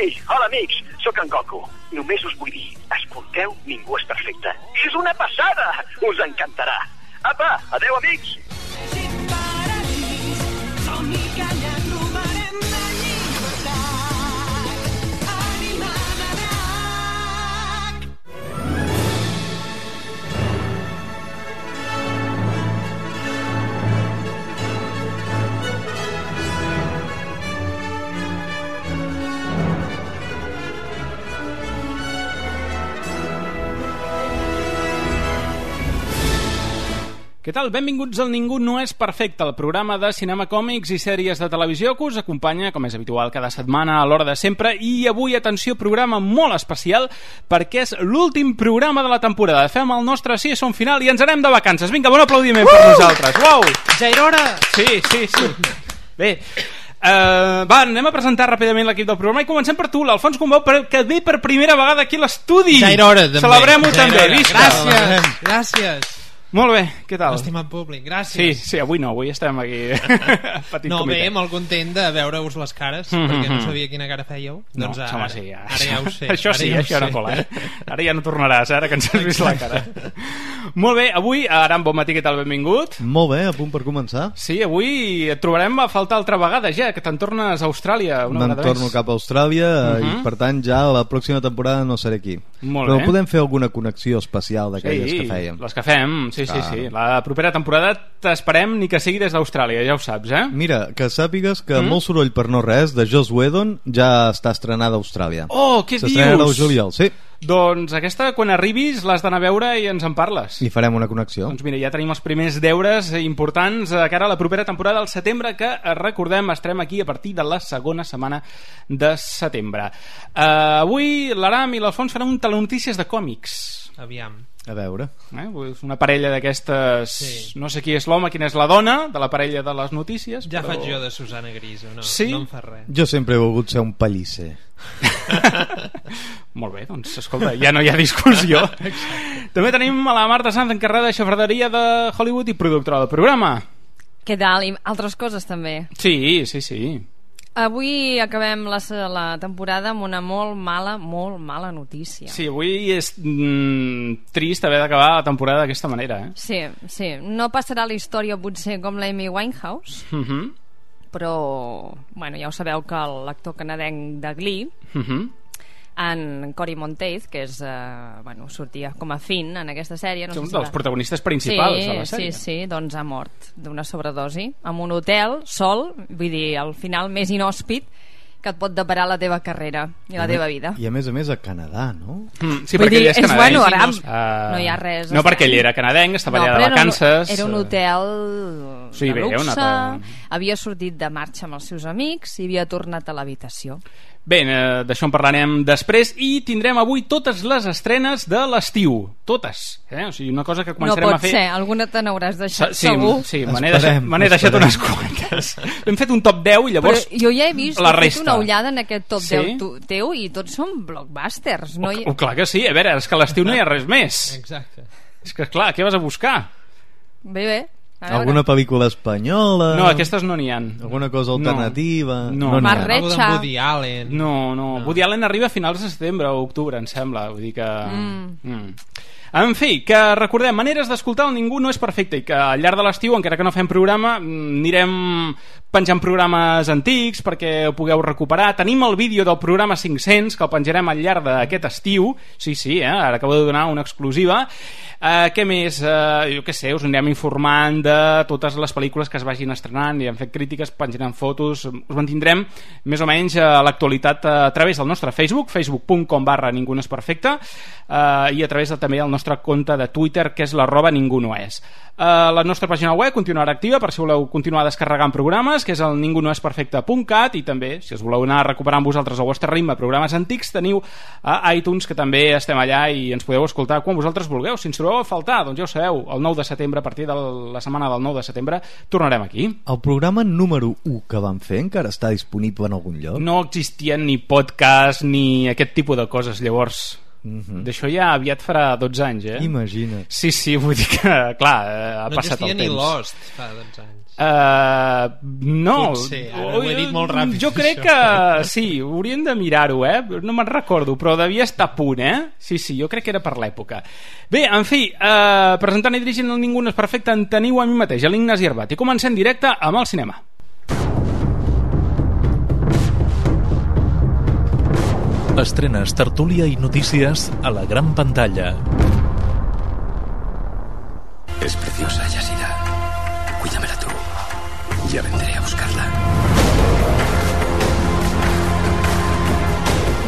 Ei, hola amics, sóc en Goku. Només us vull dir, escolteu Ningú és perfecte. És una passada! Us encantarà. Apa, adeu amics! Què tal? Benvinguts al Ningú no és perfecte, el programa de cinema, còmics i sèries de televisió que us acompanya, com és habitual, cada setmana a l'hora de sempre. I avui, atenció, programa molt especial perquè és l'últim programa de la temporada. Fem el nostre season final i ens anem de vacances. Vinga, bon aplaudiment per nosaltres. Uau! Ja era hora! Sí. Bé, va, anem a presentar ràpidament l'equip del programa i comencem per tu, l'Alfons Combau, que ve per primera vegada aquí a l'estudi. Ja era hora, també. Celebrem-ho també, visca! Gràcies. Molt bé, què tal? Estimat públic, gràcies. Sí, avui no, avui estem aquí petit no, comitè. bé, molt content de veure-us les cares, perquè no sabia quina cara fèieu. No, doncs home, sí, ja. Ara ja ho sé. Això sí, això no cola, Ara ja no tornaràs, ara que ens has vist la cara. Molt bé, avui, Aram, bon matí, què tal, benvingut? Molt bé, a punt per començar. Sí, avui et trobarem a faltar altra vegada ja, que te'n tornes a Austràlia una vegada més. Me'n torno cap a Austràlia i per tant ja la pròxima temporada no seré aquí. Molt Però bé. podem fer alguna connexió especial d'aquelles que fèiem. Les que fem, sí. La propera temporada t'esperem ni que sigui des d'Austràlia, ja ho saps, Mira, que sàpigues que Molt soroll per no res de Joss Whedon ja està estrenada a Austràlia. Oh, què dius? S'estrenarà al juliol, sí. Doncs aquesta, quan arribis, l'has d'anar a veure i ens en parles. I farem una connexió. Doncs mira, ja tenim els primers deures importants de cara a la propera temporada del setembre, que recordem, estarem aquí a partir de la segona setmana de setembre. Avui l'Aram i l'Alfons faran un telenotícies de còmics. Aviam. A veure. Una parella d'aquestes... Sí. No sé qui és l'home, quina és la dona de la parella de les notícies. Ja però... faig jo de Susana Griso, no, sí? No em fa res. Jo sempre he volgut ser un pallisser. Molt bé, doncs escolta, ja no hi ha discussió. També tenim a la Marta Sanz, encarregada de xafarderia de Hollywood i productora del programa. Què tal? I altres coses també. Sí. Avui acabem la temporada amb una molt mala notícia. Sí, avui és trist haver d'acabar la temporada d'aquesta manera, Sí, no passarà la història potser com l'Amy Winehouse, però bueno, ja ho sabeu que l'actor canadenc de Glee, en Cory Monteith, que és sortia com a Finn en aquesta sèrie, un dels protagonistes principals de la sèrie. Sí, doncs ha mort d'una sobredosi en un hotel, sol, vull dir, al final més inhòspit que et pot deparar la teva carrera i la teva vida. I a més a Canadà, no? Sí, perquè ell és canadenc. Bueno, Aram, no hi ha res. No, perquè ell era canadenc, estava allà de vacances. Era un hotel de luxe, havia sortit de marxa amb els seus amics i havia tornat a l'habitació. Bé, d'això en parlarem després i tindrem avui totes les estrenes de l'estiu. Totes. O sigui, una cosa que començarem a fer... No pot ser, alguna te n'hauràs deixat, segur. Sí, me n'he deixat unes quantes. Hem fet un top 10 i llavors però jo ja he vist, he fet una ullada en aquest top 10 teu i tots són blockbusters. Clar que sí, a veure, és que a l'estiu no hi ha res més. Exacte. És que clar, què vas a buscar? Bé. Alguna pel·lícula espanyola? No, aquestes no n'hi ha. Alguna cosa alternativa? No. Algo de Woody Allen. No. Woody Allen arriba a finals de setembre o octubre, em sembla. Vull dir que... En fi, que recordem, maneres d'escoltar el Ningú no és perfecte i que al llarg de l'estiu, encara que no fem programa, anirem penjant programes antics perquè ho pugueu recuperar. Tenim el vídeo del programa 500 que el penjarem al llarg d'aquest estiu. Sí, ara acabo de donar una exclusiva. Què més? Jo què sé, us anirem informant de totes les pel·lícules que es vagin estrenant, i hem fet crítiques, penjarem fotos, us mantindrem més o menys a l'actualitat a través del nostre facebook.com/Ningú no és perfecte, i a través també del nostre compte de Twitter, que és @ningunoes. La nostra pàgina web continuarà activa per si voleu continuar descarregant programes, que és el ningunoesperfecte.cat, i també, si us voleu anar recuperant vosaltres al vostre ritme programes antics, teniu a iTunes, que també estem allà i ens podeu escoltar quan vosaltres vulgueu. Si ens trobeu a faltar, doncs ja ho sabeu, el 9 de setembre, a partir de la setmana del 9 de setembre, tornarem aquí. El programa número 1 que vam fer encara està disponible en algun lloc? No existien ni podcast ni aquest tipus de coses, llavors... D'això ja aviat farà 12 anys, Imagina't. Sí, vull dir que, clar, ha passat el temps. No existia ni Lost fa 12 anys. No. Potser, ara ho he dit molt ràpid. Jo crec que sí, hauríem de mirar-ho, no me'n recordo, però devia estar a punt, Sí, jo crec que era per l'època. Bé, en fi, presentant i dirigint el Ningú no és perfecte, en teniu a mi mateix, a l'Ignasi Arbat, i comencem directe amb el cinema. Estrenes, tertúlia i notícies a la gran pantalla. Es preciosa, Yasira. Cuídamela tú. Ya vendré a buscarla.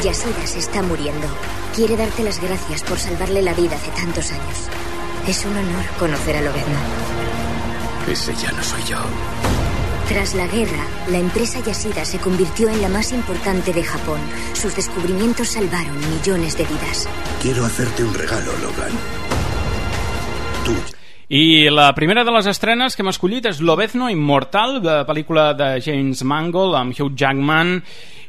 Yasira se está muriendo. Quiere darte las gracias por salvarle la vida hace tantos años. Es un honor conocer a Lobezno. Ese ya no soy yo. Tras la guerra, la empresa Yasira se convirtió en la más importante de Japón. Sus descubrimientos salvaron millones de vidas. Quiero hacerte un regalo, Logan. Tú. I la primera de les estrenes que hem escollit és Lobezno Immortal, de pel·lícula de James Mangold amb Hugh Jackman,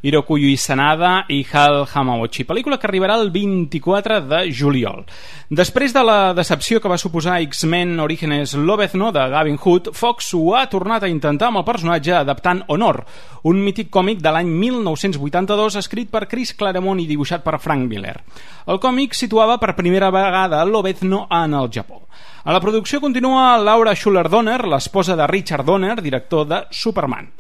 Hirokuyu Sanada i Hal Hamauchi, pel·lícula que arribarà el 24 de juliol. Després de la decepció que va suposar X-Men Orígenes Lobezno de Gavin Hood, Fox ho ha tornat a intentar amb el personatge adaptant Honor, un mític còmic de l'any 1982 escrit per Chris Claremont i dibuixat per Frank Miller. El còmic situava per primera vegada Lobezno en el Japó. A la producció continua Laura Schuler Donner, l'esposa de Richard Donner, director de Superman.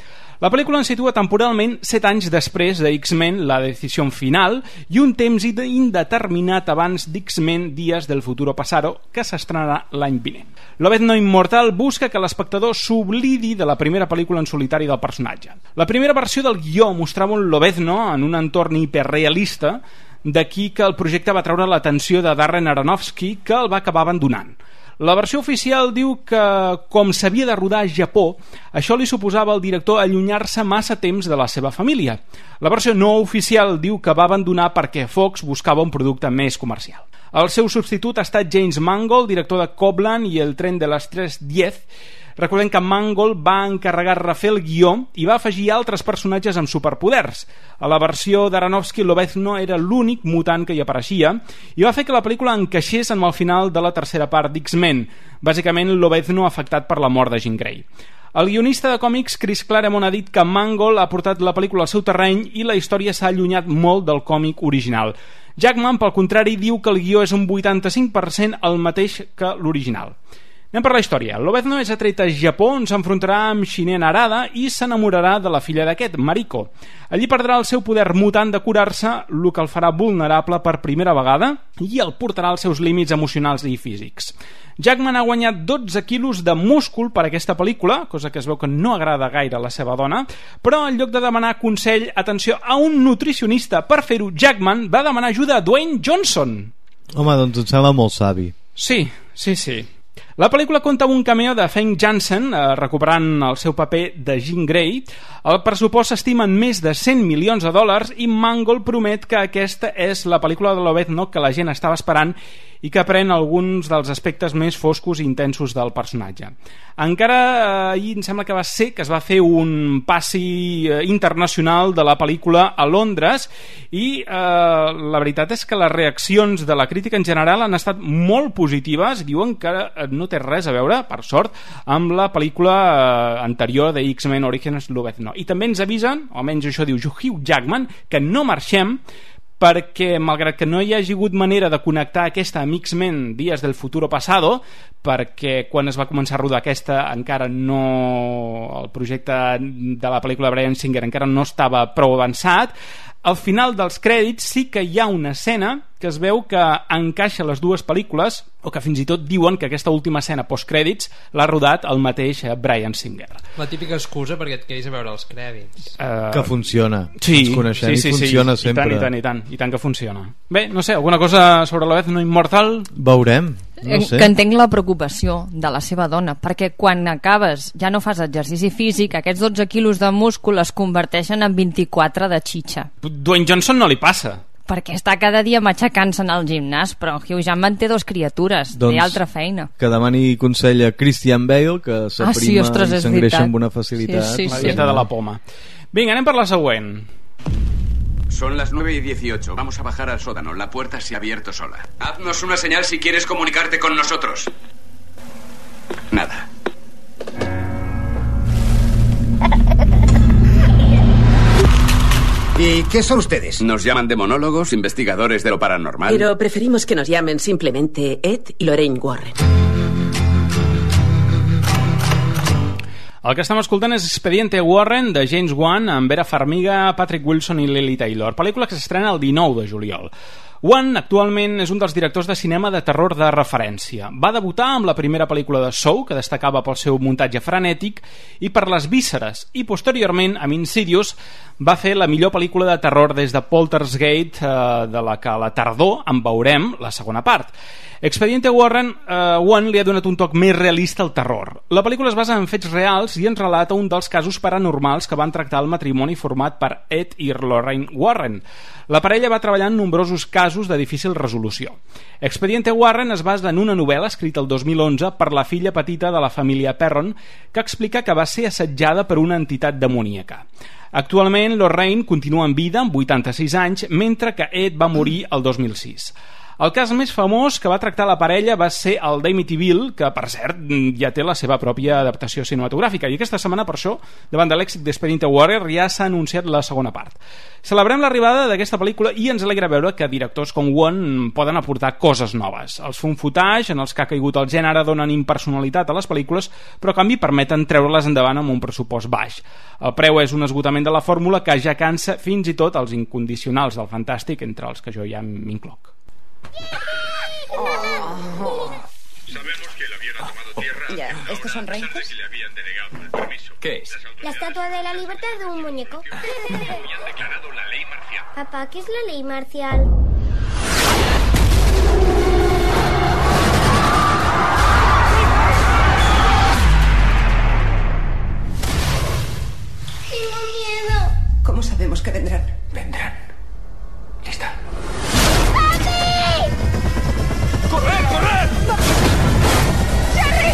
La pel·lícula ens situa temporalment 7 anys després de X-Men La Decisió Final i un temps indeterminat abans d'X-Men Días del Futuro Pasado, que s'estrenarà l'any vinent. Lobezno Immortal busca que l'espectador s'oblidi de la primera pel·lícula en solitari del personatge. La primera versió del guió mostrava un Lobezno en un entorn hiperrealista, d'aquí que el projecte va treure l'atenció de Darren Aronofsky, que el va acabar abandonant. La versió oficial diu que, com s'havia de rodar a Japó, això li suposava al director allunyar-se massa temps de la seva família. La versió no oficial diu que va abandonar perquè Fox buscava un producte més comercial. El seu substitut ha estat James Mangold, director de Copland i El tren de les 3:10. Recordem que Mangold va encarregar refer el guió i va afegir altres personatges amb superpoders. A la versió d'Aronofsky, Lobezno era l'únic mutant que hi apareixia i va fer que la pel·lícula encaixés amb el final de la tercera part d'X-Men, bàsicament Lobezno afectat per la mort de Jean Grey. El guionista de còmics Chris Claremont ha dit que Mangold ha portat la pel·lícula al seu terreny i la història s'ha allunyat molt del còmic original. Jackman, pel contrari, diu que el guió és un 85% el mateix que l'original. Anem per la història. Lobezno és atret a Japó, on s'enfrontarà amb Shinen Harada i s'enamorarà de la filla d'aquest, Mariko. Allí perdrà el seu poder mutant de curar-se, el que el farà vulnerable per primera vegada i el portarà als seus límits emocionals i físics. Jackman ha guanyat 12 quilos de múscul per aquesta pel·lícula, cosa que es veu que no agrada gaire a la seva dona, però en lloc de demanar consell, atenció, a un nutricionista per fer-ho, Jackman va demanar ajuda a Dwayne Johnson. Home, doncs em sembla molt savi. Sí. La pel·lícula compta amb un cameo de Feng Jansen, recuperant el seu paper de Jean Grey. El pressupost s'estima en més de 100 milions de dòlars i Mangold promet que aquesta és la pel·lícula de Lobezno que la gent estava esperant i que pren alguns dels aspectes més foscos i intensos del personatge. Encara ahir em sembla que va ser que es va fer un passi internacional de la pel·lícula a Londres i la veritat és que les reaccions de la crítica en general han estat molt positives. Diuen que no té res a veure, per sort, amb la pel·lícula anterior de X-Men Orígenes Lobezno. I també ens avisen, o almenys això diu Hugh Jackman, que no marxem perquè, malgrat que no hi hagi hagut manera de connectar aquesta amb X-Men Días del Futuro Pasado, perquè quan es va començar a rodar aquesta encara no... el projecte de la pel·lícula de Bryan Singer encara no estava prou avançat, al final dels crèdits sí que hi ha una escena que es veu que encaixa les dues pel·lícules, o que fins i tot diuen que aquesta última escena postcrèdits l'ha rodat el mateix Bryan Singer. La típica excusa perquè et quedis a veure els crèdits. Que funciona. Sí, ens coneixem sí, i funciona sí. sempre. I tant que funciona. Bé, no sé, alguna cosa sobre Lobezno Immortal? Veurem. No sé. Que entenc la preocupació de la seva dona, perquè quan acabes ja no fas exercici físic, aquests 12 quilos de múscul es converteixen en 24 de xitxa. Dwayne Johnson no li passa, perquè està cada dia matxacant-se en el gimnàs, però Hugh Jackman té 2 criatures, té altra feina. Que demani consell a Christian Bale, que s'aprima i s'engreixa amb una facilitat. La dieta de la poma. Vinga, anem per la següent. Son las 9:18. Vamos a bajar al sótano. La puerta se ha abierto sola. Haznos una señal si quieres comunicarte con nosotros. Nada. ¿Y qué son ustedes? Nos llaman demonólogos, investigadores de lo paranormal. Pero preferimos que nos llamen simplemente Ed y Lorraine Warren. El que estem escoltant és Expediente Warren, de James Wan, amb Vera Farmiga, Patrick Wilson i Lily Taylor, pel·lícula que s'estrena el 19 de juliol. Wan actualment és un dels directors de cinema de terror de referència. Va debutar amb la primera pel·lícula de Saw, que destacava pel seu muntatge frenètic, i per les vísceres, i posteriorment, amb Insidious, va fer la millor pel·lícula de terror des de Poltergeist, de la que a la tardor en veurem la segona part. Expediente Warren, Wan li ha donat un toc més realista al terror. La pel·lícula es basa en fets reals i ens relata un dels casos paranormals que van tractar el matrimoni format per Ed i Lorraine Warren. La parella va treballar en nombrosos casos de difícil resolució. Expediente Warren es basa en una novel·la escrita el 2011 per la filla petita de la família Perron, que explica que va ser assetjada per una entitat demoníaca. Actualment, Lorraine continua en vida amb 86 anys, mentre que Ed va morir el 2006. El cas més famós que va tractar la parella va ser el d'Amityville, que, per cert, ja té la seva pròpia adaptació cinematogràfica. I aquesta setmana, per això, davant de l'èxit d'Expediente Warren, ja s'ha anunciat la segona part. Celebrem l'arribada d'aquesta pel·lícula i ens alegra veure que directors com Wan poden aportar coses noves. Els found footage, en els que ha caigut el gènere, donen impersonalitat a les pel·lícules, però a canvi permeten treure-les endavant amb un pressupost baix. El preu és un esgotament de la fórmula que ja cansa fins i tot els incondicionals del fantàstic, entre els que jo ja m'incloc. Sabemos que el avión ha tomado tierra. Ya, ¿estos son reinos? Si le habían denegado el permiso. ¿Qué es? La estatua de la libertad de un muñeco. Habían declarado la ley marcial. Papá, ¿qué es la ley marcial? Tengo miedo. ¿Cómo sabemos que vendrán? Vendrán. Lista. ¡Corred, corred! ¡Jerry!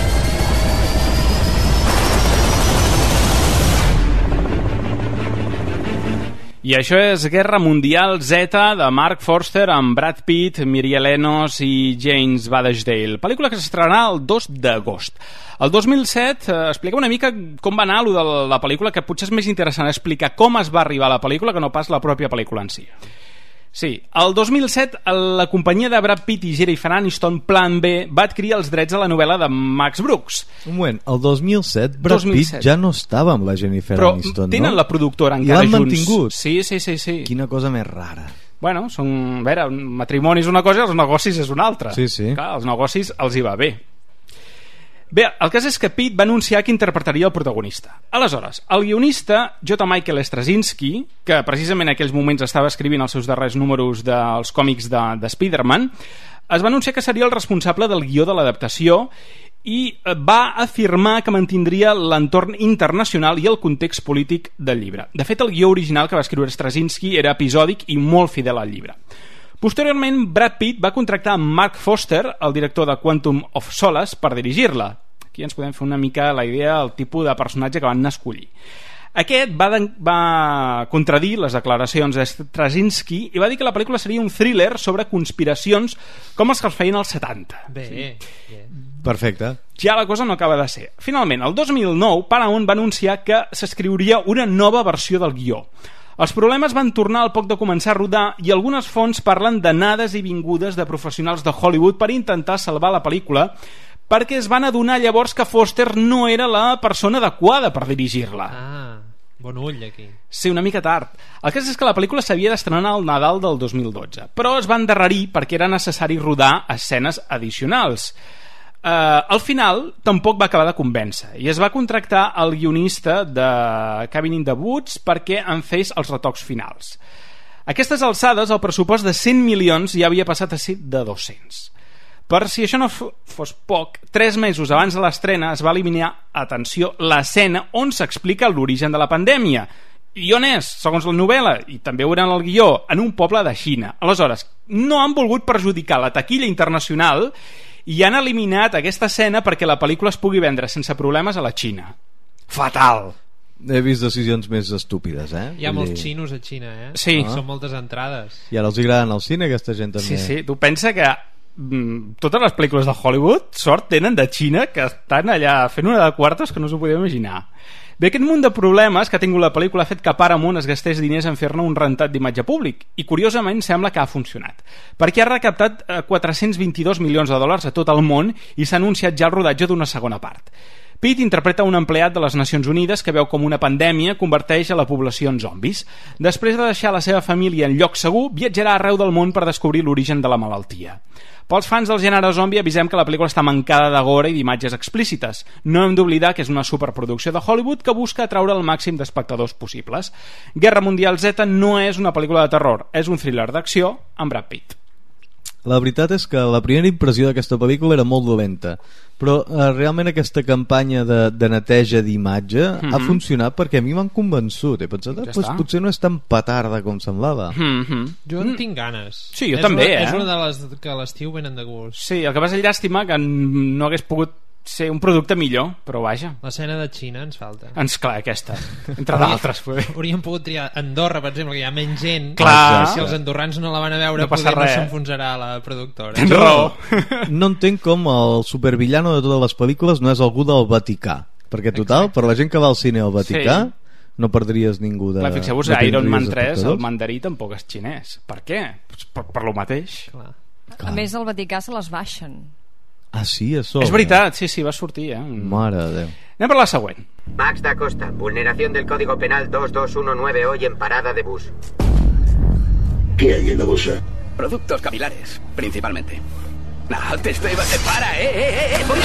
I això és Guerra Mundial Z de Mark Forster amb Brad Pitt, Miriam Enos i James Badesdale. Pel·lícula que s'estrenarà el 2 d'agost. El 2007, explica una mica com va anar allò de la pel·lícula, que potser és més interessant explicar com es va arribar a la pel·lícula que no pas la pròpia pel·lícula en si. Sí, el 2007 la companyia de Brad Pitt i Jennifer Aniston, Plan B, va adquirir els drets a la novel·la de Max Brooks. Un moment, el 2007 Brad Pitt ja no estava amb la Jennifer Aniston, no? Però tenen la productora encara junts. I l'han mantingut? Sí. Quina cosa més rara. Bueno, a veure, un matrimoni és una cosa i els negocis és una altra. Sí. Clar, els negocis els hi va bé. Bé, el cas és que Pitt va anunciar que interpretaria el protagonista. Aleshores, el guionista J. Michael Straczynski, que precisament en aquells moments estava escrivint els seus darrers números dels còmics de Spider-Man, es va anunciar que seria el responsable del guió de l'adaptació i va afirmar que mantindria l'entorn internacional i el context polític del llibre. De fet, el guió original que va escriure Straczynski era episòdic i molt fidel al llibre. Posteriorment, Brad Pitt va contractar Mark Forster, el director de Quantum of Solace, per dirigir-la. Aquí ens podem fer una mica la idea del tipus de personatge que van escollir. Aquest va contradir les declaracions de Straczynski i va dir que la pel·lícula seria un thriller sobre conspiracions com els que es feien als 70. Bé. Perfecte. Ja la cosa no acaba de ser. Finalment, el 2009, Paramount va anunciar que s'escriuria una nova versió del guió. Els problemes van tornar al poc de començar a rodar i algunes fonts parlen d'anades i vingudes de professionals de Hollywood per intentar salvar la pel·lícula, perquè es van adonar llavors que Foster no era la persona adequada per dirigir-la. Bon ull aquí. Sí, una mica tard. El cas és que la pel·lícula s'havia d'estrenar al Nadal del 2012, però es va endarrerir perquè era necessari rodar escenes addicionals. Al final tampoc va acabar de convèncer i es va contractar el guionista de Cabin in the Woods perquè en fes els retocs finals. A aquestes alçades el pressupost de 100 milions ja havia passat a ser de 200. Per si això no fos poc, 3 mesos abans de l'estrena es va eliminar, atenció, l'escena on s'explica l'origen de la pandèmia. I on és? Segons la novel·la, i també ho veurem al guió, en un poble de Xina. Aleshores, no han volgut perjudicar la taquilla internacional i han eliminat aquesta escena perquè la pel·lícula es pugui vendre sense problemes a la Xina. Fatal! he vist decisions més estúpides, Hi ha molts xinos a Xina, Sí. Són moltes entrades. I ara els agraden al cine, aquesta gent també. Sí, tu pensa que totes les pel·lícules de Hollywood sort tenen de Xina, que estan allà fent una de quartos que no us ho podeu imaginar. Bé, aquest munt de problemes que ha tingut la pel·lícula ha fet que Paramount es gastés diners en fer-ne un rentat d'imatge públic, i curiosament sembla que ha funcionat, perquè ha recaptat $422 milions a tot el món i s'ha anunciat ja el rodatge d'una segona part. Pitt interpreta un empleat de les Nacions Unides que veu com una pandèmia converteix a la població en zombis. Després de deixar la seva família en lloc segur, viatjarà arreu del món per descobrir l'origen de la malaltia. Pels fans del gènere zombi avisem que la pel·lícula està mancada de gore i d'imatges explícites. No hem d'oblidar que és una superproducció de Hollywood que busca atraure el màxim d'espectadors possibles. Guerra Mundial Z no és una pel·lícula de terror, és un thriller d'acció amb Brad Pitt. La veritat és que la primera impressió d'aquesta pel·lícula era molt dolenta, però realment aquesta campanya de neteja d'imatge ha funcionat perquè a mi m'han convençut. He pensat, potser no és tan petarda com semblava. Jo en tinc ganes. Sí, jo també, És una de les que a l'estiu venen de gust. Sí, el que passa és llàstima que no hagués pogut ser un producte millor, però vaja. L'escena de Xina ens falta. Clar, aquesta, entre d'altres. Hauríem pogut triar Andorra, per exemple, que hi ha menys gent. Clar. Si els andorrans no la van a veure, no passa res. S'enfonsarà la productora. Tens raó. No entenc com el supervillano de totes les pel·lícules no és algú del Vaticà, perquè total, per la gent que va al cine al Vaticà no perdries ningú de... Clar, fixeu-vos, Iron Man 3, el mandarí tampoc és xinès. Per què? Per lo mateix. Clar. A més, al Vaticà se les baixen. Ah, sí, a sobre. És veritat, sí, va sortir, Mare de Déu. Anem per la següent. Max da Costa, vulneración del Código Penal 2219 hoy en parada de bus. ¿Qué hay en la bolsa? Productos capilares, principalmente. No, te estoy... ¡Para, voy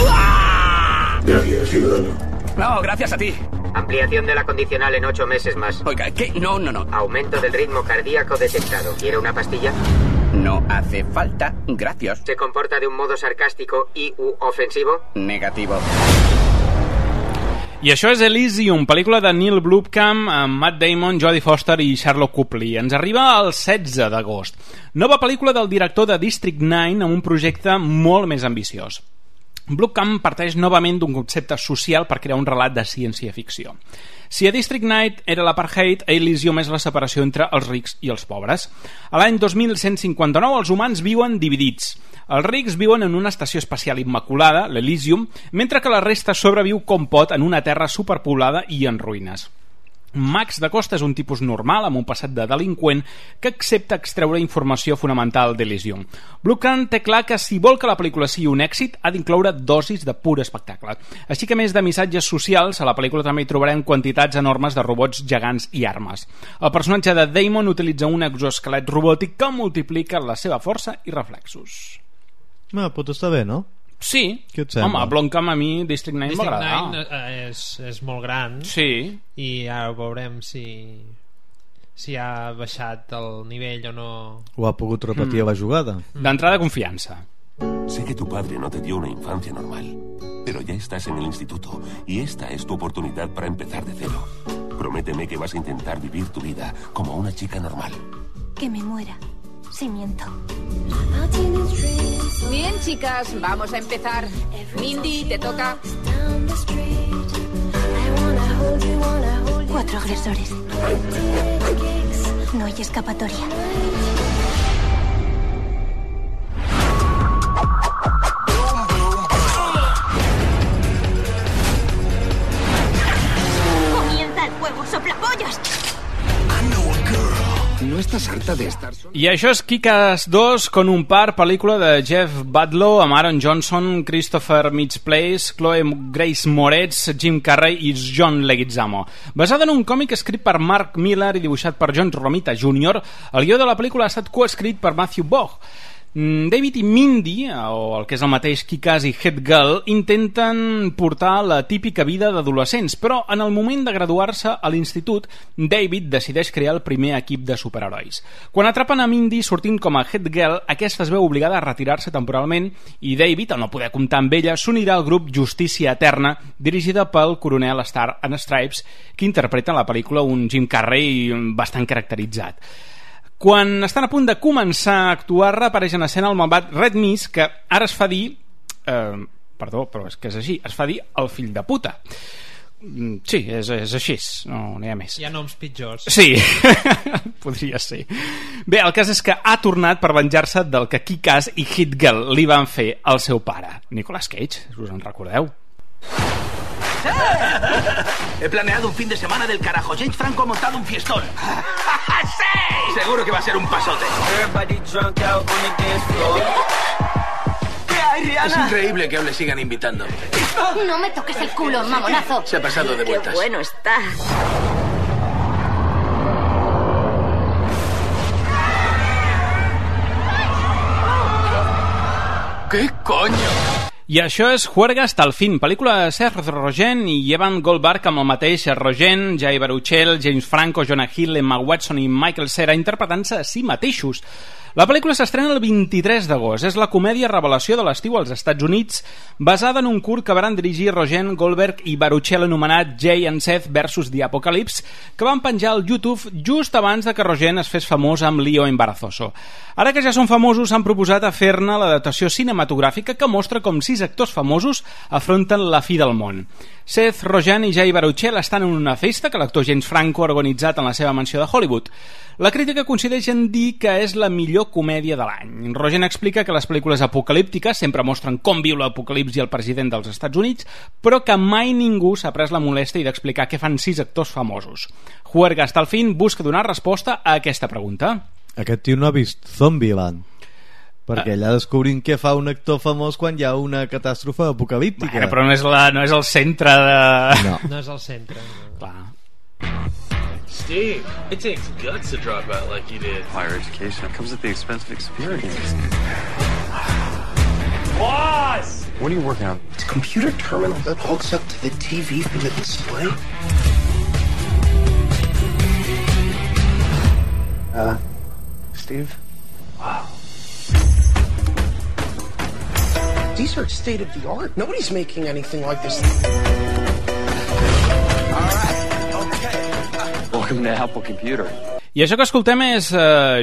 a... Gracias, ciudadano. No, gracias a ti. Ampliación de la condicional en 8 meses más. Oiga, ¿qué? No. Aumento del ritmo cardíaco detectado. ¿Quiere una pastilla? No hace falta, gracias. ¿Se comporta de un modo sarcástico y u ofensivo? Negativo. I això és Elysium, pel·lícula de Neil Blomkamp amb Matt Damon, Jodie Foster i Sherlock Copley. Ens arriba el 16 d'agost. Nova pel·lícula del director de District 9 amb un projecte molt més ambiciós. Blomkamp parteix novament d'un concepte social per crear un relat de ciència-ficció. Si a District 9 era l'apartheid, a Elysium és la separació entre els rics i els pobres. A l'any 2159 els humans viuen dividits. Els rics viuen en una estació espacial immaculada, l'Elysium, mentre que la resta sobreviu com pot en una terra superpoblada i en ruïnes. Max da Costa és un tipus normal amb un passat de delinqüent que accepta extreure informació fonamental d'Elysium. Blomkamp té clar que si vol que la pel·lícula sigui un èxit ha d'incloure dosis de pur espectacle. Així que, a més de missatges socials, a la pel·lícula també hi trobarem quantitats enormes de robots gegants i armes. El personatge de Damon utilitza un exoesquelet robòtic que multiplica la seva força i reflexos. Pot estar bé, no? Sí, home, Blomkamp a mi District 9 m'agrada. District 9 és molt gran. Sí. I ara veurem si ha baixat el nivell o no. O ha pogut repetir a la jugada. D'entrada, confiança. Sé que tu padre no te dio una infancia normal, pero ya estás en el instituto y esta es tu oportunidad para empezar de cero. Prométeme que vas a intentar vivir tu vida como una chica normal. Que me muera. Si miento. Bien, chicas, vamos a empezar. Mindy, te toca. 4 agresores. No hay escapatoria. Comienza el juego, soplapollas. ¿No estás harta de estar sola? I això és Kick-Ass 2 con un par, pel·lícula de Jeff Badlow amb Aaron Johnson, Christopher Mintz-Plasse, Chloe Grace Moretz, Jim Carrey i John Leguizamo. Basada en un còmic escrit per Mark Millar i dibuixat per John Romita Jr., el guió de la pel·lícula ha estat coescrit per Matthew Vaughn. David i Mindy, o el que és el mateix Kick-Ass i Head Girl, intenten portar la típica vida d'adolescents, però en el moment de graduar-se a l'institut, David decideix crear el primer equip de superherois. Quan atrapen a Mindy sortint com a Head Girl, aquesta es veu obligada a retirar-se temporalment i David, al no poder comptar amb ella, s'unirà al grup Justícia Eterna, dirigida pel coronel Star and Stripes, que interpreta en la pel·lícula un Jim Carrey bastant caracteritzat. Quan estan a punt de començar a actuar, reapareix en escena el malvat Red Mist, que ara es fa dir... perdó, però és que és així, es fa dir el fill de puta. Sí, és així, no hi ha més. Hi ha noms pitjors. Sí, podria ser. Bé, el cas és que ha tornat per venjar-se del que Kick-Ass i Hit Girl li van fer al seu pare, Nicolas Cage, us en recordeu? He planeado un fin de semana del carajo. James Franco ha montado un fiestón. ¡Sí! Seguro que va a ser un pasote. Es increíble que aún le sigan invitando. No me toques el culo, mamonazo. Se ha pasado de vueltas. Qué bueno está. ¿Qué coño? I això és Juerga hasta el fin, pel·lícula de Seth Rogen i Evan Goldberg amb el mateix Rogen, Jay Baruchel, James Franco, Jonah Hill, Emma Watson i Michael Cera interpretant-se a si mateixos. La pel·lícula s'estrena el 23 d'agost. És la comèdia revelació de l'estiu als Estats Units, basada en un curt que van dirigir Rogen, Goldberg i Baruchel anomenat Jay and Seth vs. The Apocalypse, que van penjar al YouTube just abans de que Rogen es fes famós amb Lío Embarazoso. Ara que ja són famosos, han proposat a fer-ne l'adaptació cinematogràfica que mostra com 6 actors famosos afronten la fi del món. Seth Rogen i Jay Baruchel estan en una festa que l'actor James Franco ha organitzat en la seva mansió de Hollywood. La crítica coincideix en dir que és la millor comèdia de l'any. Rogen explica que les pel·lícules apocalíptiques sempre mostren com viu l'apocalipsi el president dels Estats Units, però que mai ningú s'ha pres la molèstia d'explicar què fan 6 actors famosos. Juerga hasta el fin busca donar resposta a aquesta pregunta. Aquest tio no ha vist Zombieland, perquè allà descobrim què fa un actor famós quan hi ha una catàstrofe apocalíptica. Bueno, però no és el centre de... No és el centre. Clar. Steve, it takes guts to drop out like you did. Higher education comes at the expense of experience. Boss! What are you working on? It's a computer terminal that hooks up to the TV for the display. Steve? Wow. These are state of the art. Nobody's making anything like this. Welcome to Apple Computer. I això que escoltem és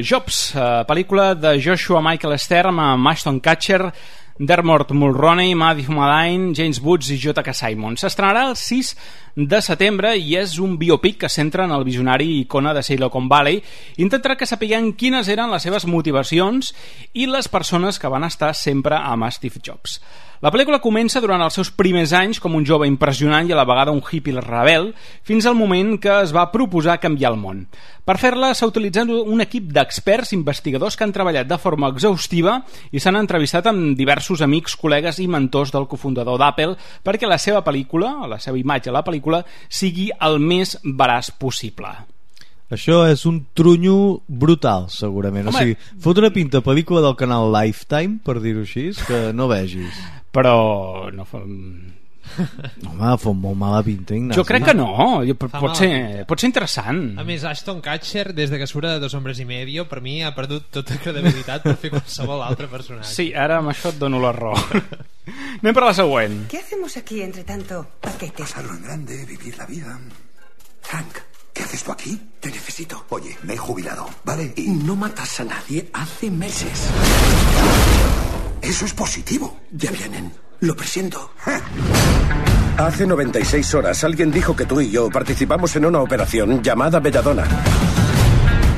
Jobs, pel·lícula de Joshua Michael Stern amb Ashton Kutcher, Dermot Mulroney, Matthew Modine, James Woods i J.K. Simmons. S'estrenarà el 6 de setembre i és un biopic que centra en el visionari i icona de Silicon Valley. Intentarà que sapiguem quines eren les seves motivacions i les persones que van estar sempre amb Steve Jobs. La pel·lícula comença durant els seus primers anys com un jove impressionant i a la vegada un hippie rebel, fins al moment que es va proposar canviar el món. Per fer-la s'ha utilitzat un equip d'experts investigadors que han treballat de forma exhaustiva i s'han entrevistat amb diversos amics, col·legues i mentors del cofundador d'Apple perquè la seva pel·lícula, la seva imatge a la pel·lícula, sigui el més veraç possible. Això és un trunyo brutal, segurament. Home. O sigui, fot una pinta pel·lícula del canal Lifetime, per dir-ho així, que no vegis. Però no fa... Home, fot molt mala pinta, Ignasi. Jo crec que no, pot ser interessant. A més, Ashton Kutcher, des de que surt de Dos hombres y medio, per mi ha perdut tota credibilitat per fer qualsevol altre personatge. Sí, ara amb això et dono la raó. Anem per la següent. ¿Qué hacemos aquí, entre tanto paquetes? Pasarlo en grande, vivir la vida. Frank, ¿qué haces tú aquí? Te necesito. Oye, me he jubilado, ¿vale? Y no matas a nadie hace meses. Eso es positivo. Ya vienen. Lo presiento. Hace 96 horas alguien dijo que tú y yo participamos en una operación llamada Belladonna.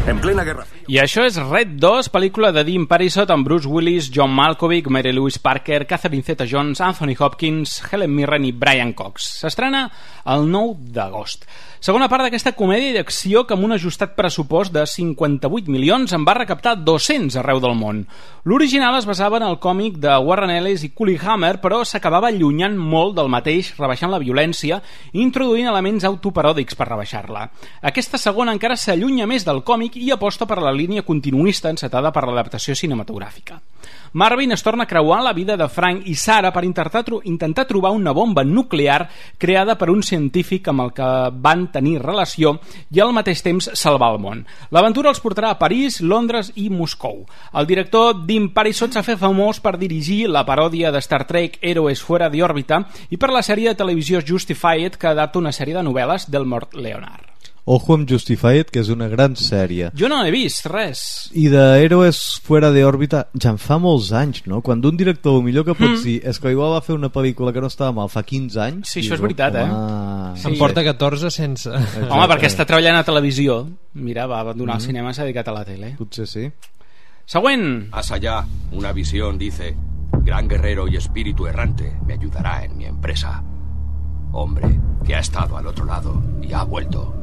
En plena guerra. I això és Red 2, pel·lícula de Dean Parisot amb Bruce Willis, John Malkovich, Mary Louise Parker, Catherine Zeta-Jones, Anthony Hopkins, Helen Mirren i Brian Cox. S'estrena el 9 d'agost. Segona part d'aquesta comèdia d'acció que amb un ajustat pressupost de 58 milions en va recaptar 200 arreu del món. L'original es basava en el còmic de Warren Ellis i Cully Hammer, però s'acabava allunyant molt del mateix, rebaixant la violència i introduint elements autoparòdics per rebaixar-la. Aquesta segona encara s'allunya més del còmic i aposta per la línia continuista encetada per l'adaptació cinematogràfica. Marvin es torna a creuar la vida de Frank i Sarah per intentar trobar una bomba nuclear creada per un científic amb el que van tenir relació i al mateix temps salvar el món. L'aventura els portarà a París, Londres i Moscou. El director Dean Parisot s'ha fet famós per dirigir la paròdia de Star Trek Héroes fuera de òrbita i per la sèrie de televisió Justified, que adapta una sèrie de novel·les d'Elmore Leonard. Ojo amb Justified, que és una gran sèrie. Jo no he vist res. I d'Héroes fuera de òrbita ja en fa molts anys, no? Quan un director, el millor que pots dir és que igual va fer una pel·lícula que no estava mal fa 15 anys. Sí, això és veritat, Sí. Em porta 14 sense... Home, perquè està treballant a televisió. Mira, va abandonar el cinema, s'ha dedicat a la tele. Potser sí. Següent. Más allá, una visión dice: gran guerrero y espíritu errante me ayudará en mi empresa. Hombre que ha estado al otro lado y ha vuelto.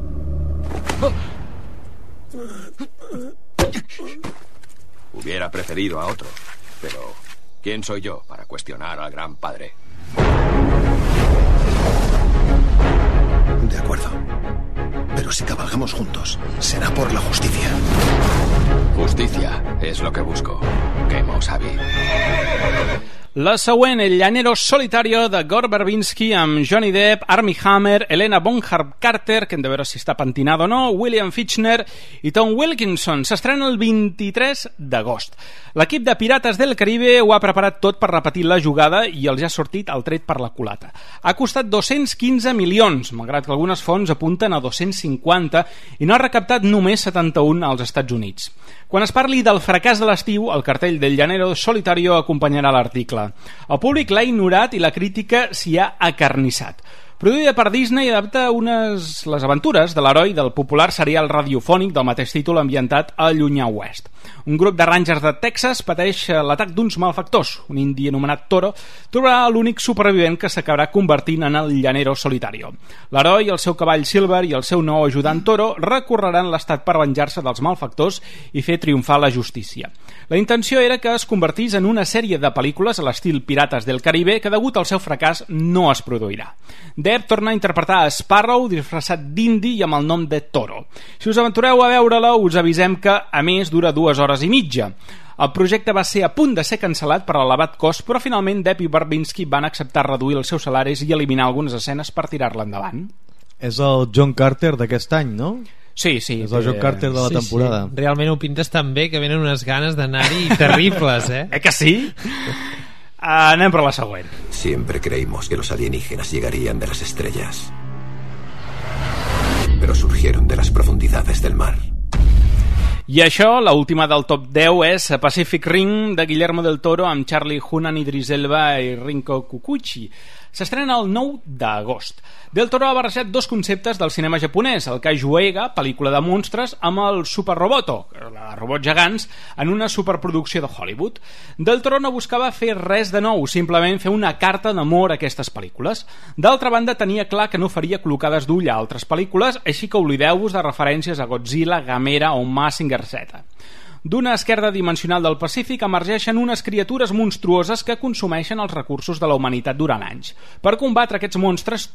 Hubiera preferido a otro, pero ¿quién soy yo para cuestionar al gran padre? De acuerdo. Pero si cabalgamos juntos, será por la justicia. Justicia es lo que busco. Quemo Sabi. La següent, El llanero solitario, de Gore Verbinski, amb Johnny Depp, Armie Hammer, Helena Bonham Carter, que hem de veure si està pentinada o no, William Fichtner i Tom Wilkinson. S'estrena el 23 d'agost. L'equip de Pirates del Caribe ho ha preparat tot per repetir la jugada i els ha sortit el tret per la culata. Ha costat 215 milions, malgrat que algunes fonts apunten a 250, i no ha recaptat només 71 als Estats Units. Quan es parli del fracàs de l'estiu, el cartell del llanero solitario acompanyarà l'article. El públic l'ha ignorat i la crítica s'hi ha acarnissat. Produïda per Disney, adapta les aventures de l'heroi del popular serial radiofònic del mateix títol ambientat a Llunyà Oest. Un grup de rangers de Texas pateix l'atac d'uns malfactors. Un indi anomenat Toro trobarà l'únic supervivent que s'acabarà convertint en el llanero solitario. L'heroi, el seu cavall Silver i el seu nou ajudant Toro recorreran l'estat per venjar-se dels malfactors i fer triomfar la justícia. La intenció era que es convertís en una sèrie de pel·lícules a l'estil Pirates del Caribe que, degut al seu fracàs, no es produirà. Depp torna a interpretar a Sparrow disfressat d'indi i amb el nom de Toro. Si us aventureu a veure-la, us avisem que, a més, dura 2 hores i mitja. El projecte va ser a punt de ser cancel·lat per l'elevat cost, però finalment Depp i Verbinski van acceptar reduir els seus salaris i eliminar algunes escenes per tirar-la endavant. És el John Carter d'aquest any, no? Sí. És el John Carter de la temporada. Sí. Realment ho pintes tan bé que venen unes ganes d'anar-hi terribles, que sí? Anem per la següent. Siempre creímos que los alienígenas llegarían de las estrellas, pero surgieron de las profundidades del mar. I això, l'última del top 10, és Pacific Rim, de Guillermo del Toro, amb Charlie Hunnam, Idris Elba i Rinko Kikuchi. S'estrena el 9 d'agost. Del Toro ha barrejat dos conceptes del cinema japonès, el Kaiju-Eiga, pel·lícula de monstres, amb el Super Roboto, robots gegants, en una superproducció de Hollywood. Del Toro no buscava fer res de nou, simplement fer una carta d'amor a aquestes pel·lícules. D'altra banda, tenia clar que no faria col·locades d'ull a altres pel·lícules, així que oblideu-vos de referències a Godzilla, Gamera o Mazinger Z. D'una esquerda dimensional del Pacífic emergeixen unes criatures monstruoses que consumeixen els recursos de la humanitat durant anys. Per combatre aquests monstres,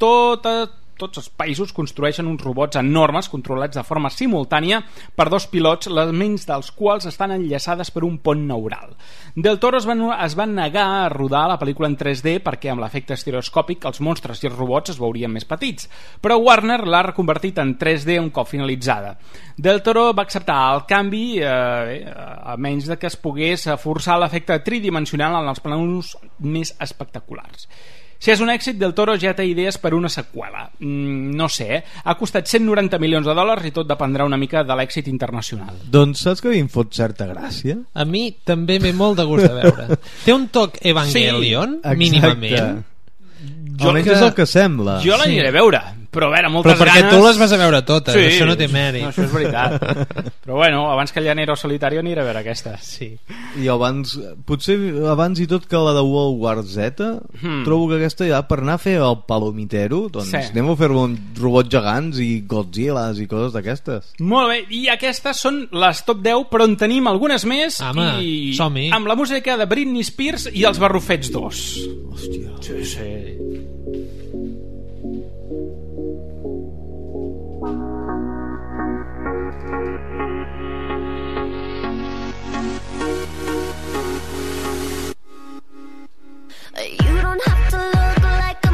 tots els països construeixen uns robots enormes controlats de forma simultània per dos pilots, les ments dels quals estan enllaçades per un pont neural. Del Toro es va negar a rodar la pel·lícula en 3D perquè amb l'efecte estereoscòpic els monstres i els robots es veurien més petits, però Warner l'ha reconvertit en 3D un cop finalitzada. Del Toro va acceptar el canvi a menys de que es pogués forçar l'efecte tridimensional en els plans més espectaculars. Si és un èxit, Del Toro ja té idees per una seqüela. No sé, ha costat 190 milions de dòlars i tot dependrà una mica de l'èxit internacional. Doncs saps que a mi em fot certa gràcia? A mi també m'he molt de gust de veure. Té un toc Evangelion, sí, mínimament. Almenys és el que sembla. Jo l'aniré a veure, però a veure, moltes ganes... Però perquè tu les vas a veure totes, sí, això no té mèrit. No, això és veritat. Però bueno, abans que el llanero solitario aniré a veure aquesta. Sí. I abans, potser abans i tot que la de World War Z, trobo que aquesta ja per anar a fer el palomitero, doncs anem a fer-lo amb robots gegants i Godzillas i coses d'aquestes. Molt bé, i aquestes són les top 10, però en tenim algunes més. Home, i som-hi. Amb la música de Britney Spears i els Barrufets 2. Hòstia. Sí.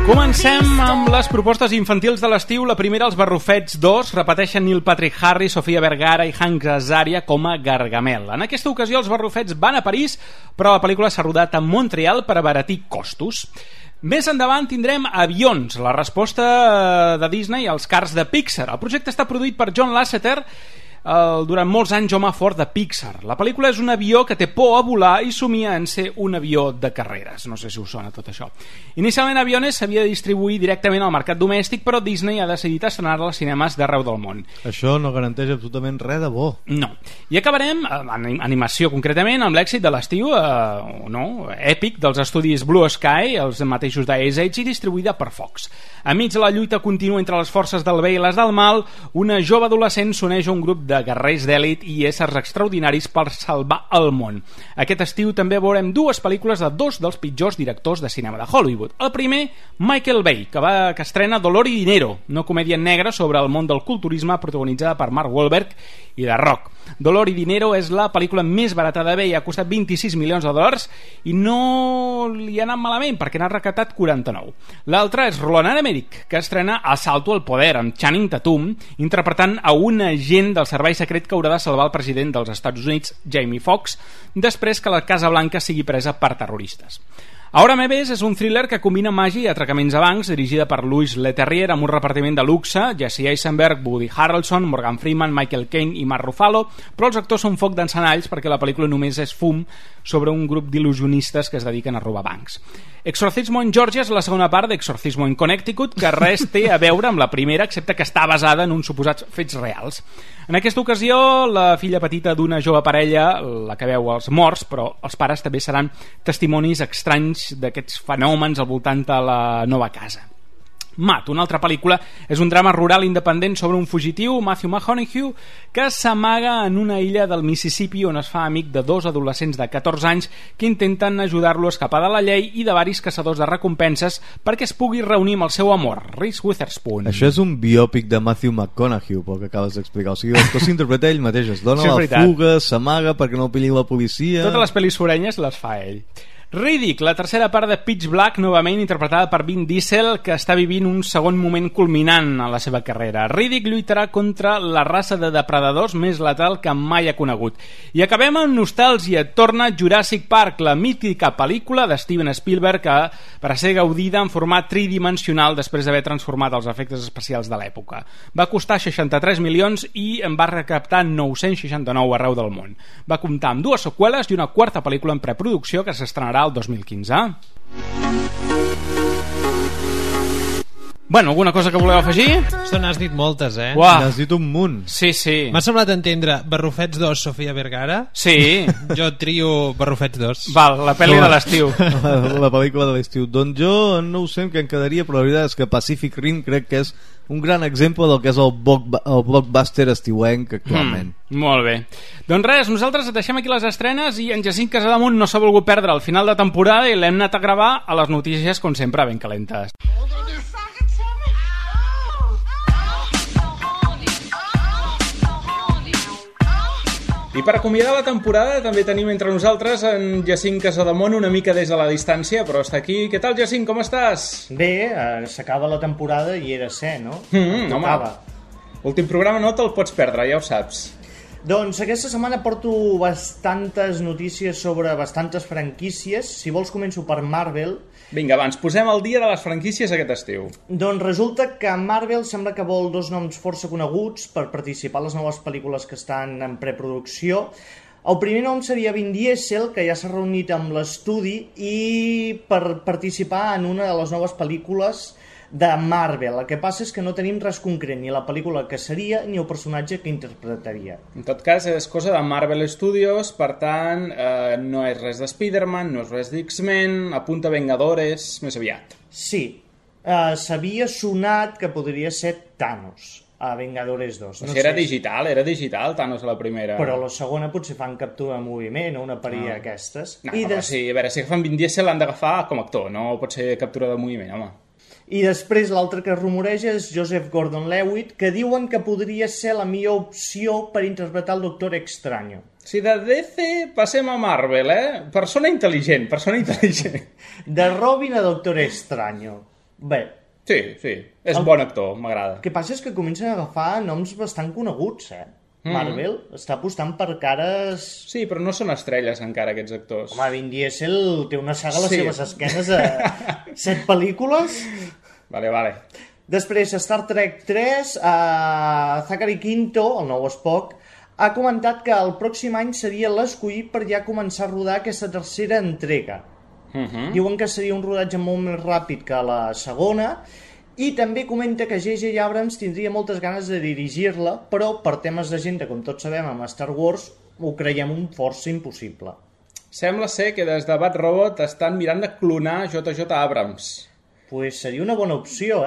Comencem amb les propostes infantils de l'estiu. La primera, els Barrufets 2, repeteixen Neil Patrick Harris, Sofia Vergara i Hank Azaria com a Gargamel. En aquesta ocasió els Barrufets van a París, però la pel·lícula s'ha rodat a Montreal per abaratir costos. Més endavant tindrem Avions, la resposta de Disney als cars de Pixar. El projecte està produït per John Lasseter, durant molts anys home fort de Pixar. La pel·lícula és un avió que té por a volar i somia en ser un avió de carreres. No sé si us sona tot això. Inicialment Aviones s'havia de distribuir directament al mercat domèstic, però Disney ha decidit estrenar-la als cinemes d'arreu del món. Això no garanteix absolutament res de bo. No. I acabarem, en animació concretament, amb l'èxit de l'estiu èpic dels estudis Blue Sky, els mateixos d'Ice Age, i distribuïda per Fox. Enmig de la lluita contínua entre les forces del bé i les del mal, una jove adolescent s'uneix a un grup de guerrers d'èlit i éssers extraordinaris per salvar el món. Aquest estiu també veurem dues pel·lícules de dos dels pitjors directors de cinema de Hollywood. El primer, Michael Bay, que estrena Dolor y Dinero, una comèdia negra sobre el món del culturisme protagonitzada per Mark Wahlberg i The Rock. Dolor y Dinero és la pel·lícula més barata de Bay, ha costat $26 milions i no li ha anat malament perquè n'ha recaptat 49. L'altra és Roland Emmerich, que estrena Asalto al poder amb Channing Tatum interpretant a un agent del servei secret que haurà de salvar el president dels Estats Units, Jamie Foxx, després que la Casa Blanca sigui presa per terroristes. Ahora me ves és un thriller que combina màgia i atracaments a bancs, dirigida per Louis Leterrier, amb un repartiment de luxe, Jesse Eisenberg, Woody Harrelson, Morgan Freeman, Michael Caine i Mark Ruffalo, però els actors són foc d'encenalls perquè la pel·lícula només és fum sobre un grup d'il·lusionistes que es dediquen a robar bancs. Exorcismo en Georgia és la segona part d'Exorcismo en Connecticut, que res té a veure amb la primera, excepte que està basada en uns suposats fets reals. En aquesta ocasió, la filla petita d'una jove parella, la que veu els morts, però els pares també seran testimonis estranys d'aquests fenòmens al voltant de la nova casa. Matt, una altra pel·lícula, és un drama rural independent sobre un fugitiu, Matthew McConaughey, que s'amaga en una illa del Mississippi on es fa amic de dos adolescents de 14 anys que intenten ajudar-lo a escapar de la llei i de varis caçadors de recompenses perquè es pugui reunir amb el seu amor, Reese Witherspoon. Això és un biòpic de Matthew McConaughey, pel que acabes d'explicar. O sigui, el que s'interpreta ell mateix, es dona la fuga, s'amaga perquè no el pilli la policia... Totes les pel·lis forenyes les fa ell. Riddick, la tercera part de Pitch Black, novament interpretada per Vin Diesel, que està vivint un segon moment culminant en la seva carrera. Riddick lluitarà contra la raça de depredadors més letal que mai ha conegut. I acabem amb nostàlgia. Torna Jurassic Park, la mítica pel·lícula de Steven Spielberg, que per a ser gaudida en format tridimensional després d'haver transformat els efectes especials de l'època. Va costar 63 milions i en va recaptar 969 arreu del món. Va comptar amb dues seqüeles i una quarta pel·lícula en preproducció que s'estrenarà el 2015. Bueno, alguna cosa que voleu afegir? Això n'has dit moltes, eh? N'has dit un munt. Sí, sí. M'ha semblat entendre Barrufets 2, Sofia Vergara. Sí. Jo trio Barrufets 2. Val, la pel·li de l'estiu. La pel·lícula de l'estiu. Doncs jo no ho sé què em quedaria, però la veritat és que Pacific Rim crec que és un gran exemple del que és el blockbuster estiuenc actualment. Molt bé. Doncs res, nosaltres deixem aquí les estrenes i en Jacint Casademunt no s'ha volgut perdre el final de temporada i l'hem anat a gravar a les notícies, com sempre, ben calentes. I per acomiadar la temporada també tenim entre nosaltres en Jacint Casademont, una mica des de la distància, però està aquí. Què tal, Jacint, com estàs? Bé, s'acaba la temporada i era ser, no? Home, últim programa no te'l pots perdre, ja ho saps. Doncs aquesta setmana porto bastantes notícies sobre bastantes franquícies. Si vols començo per Marvel. Vinga, abans, posem el dia de les franquícies aquest estiu. Doncs resulta que Marvel sembla que vol dos noms força coneguts per participar a les noves pel·lícules que estan en preproducció. El primer nom seria Vin Diesel, que ja s'ha reunit amb l'estudi i per participar en una de les noves pel·lícules de Marvel. El que passa és que no tenim res concret, ni la pel·lícula que seria ni el personatge que interpretaria. En tot cas, és cosa de Marvel Studios, per tant, no és res de Spider-Man, no és res d'X-Men, apunta Vengadores, més aviat. Sí, s'havia sonat que podria ser Thanos a Vengadores 2. No era digital Thanos a la primera. Però a la segona potser fan captura de moviment o una parella d'aquestes. No, però sí, a veure, si agafen Vin Diesel l'han d'agafar com a actor, no pot ser captura de moviment, home. I després l'altre que es rumoreja és Joseph Gordon-Levitt, que diuen que podria ser la millor opció per interpretar el Doctor Extraño. Si de DC passem a Marvel, Persona intel·ligent. De Robin a Doctor Extraño. Bé. Sí, és bon actor, m'agrada. El que passa és que comencen a agafar noms bastant coneguts, Marvel està apostant per cares... Sí, però no són estrelles encara aquests actors. Home, Vin Diesel té una saga a les seves esquenes a 7 pel·lícules. Vale. Després, Star Trek 3, Zachary Quinto, el nou Spock, ha comentat que el pròxim any seria l'escollit per ja començar a rodar aquesta tercera entrega. Diuen que seria un rodatge molt més ràpid que la segona. I també comenta que J.J. Abrams tindria moltes ganes de dirigir-la, però per temes d'agenda, com tots sabem, amb Star Wars, ho creiem un força impossible. Sembla ser que des de Bad Robot estan mirant de clonar J.J. Abrams. Pues seria una bona opció,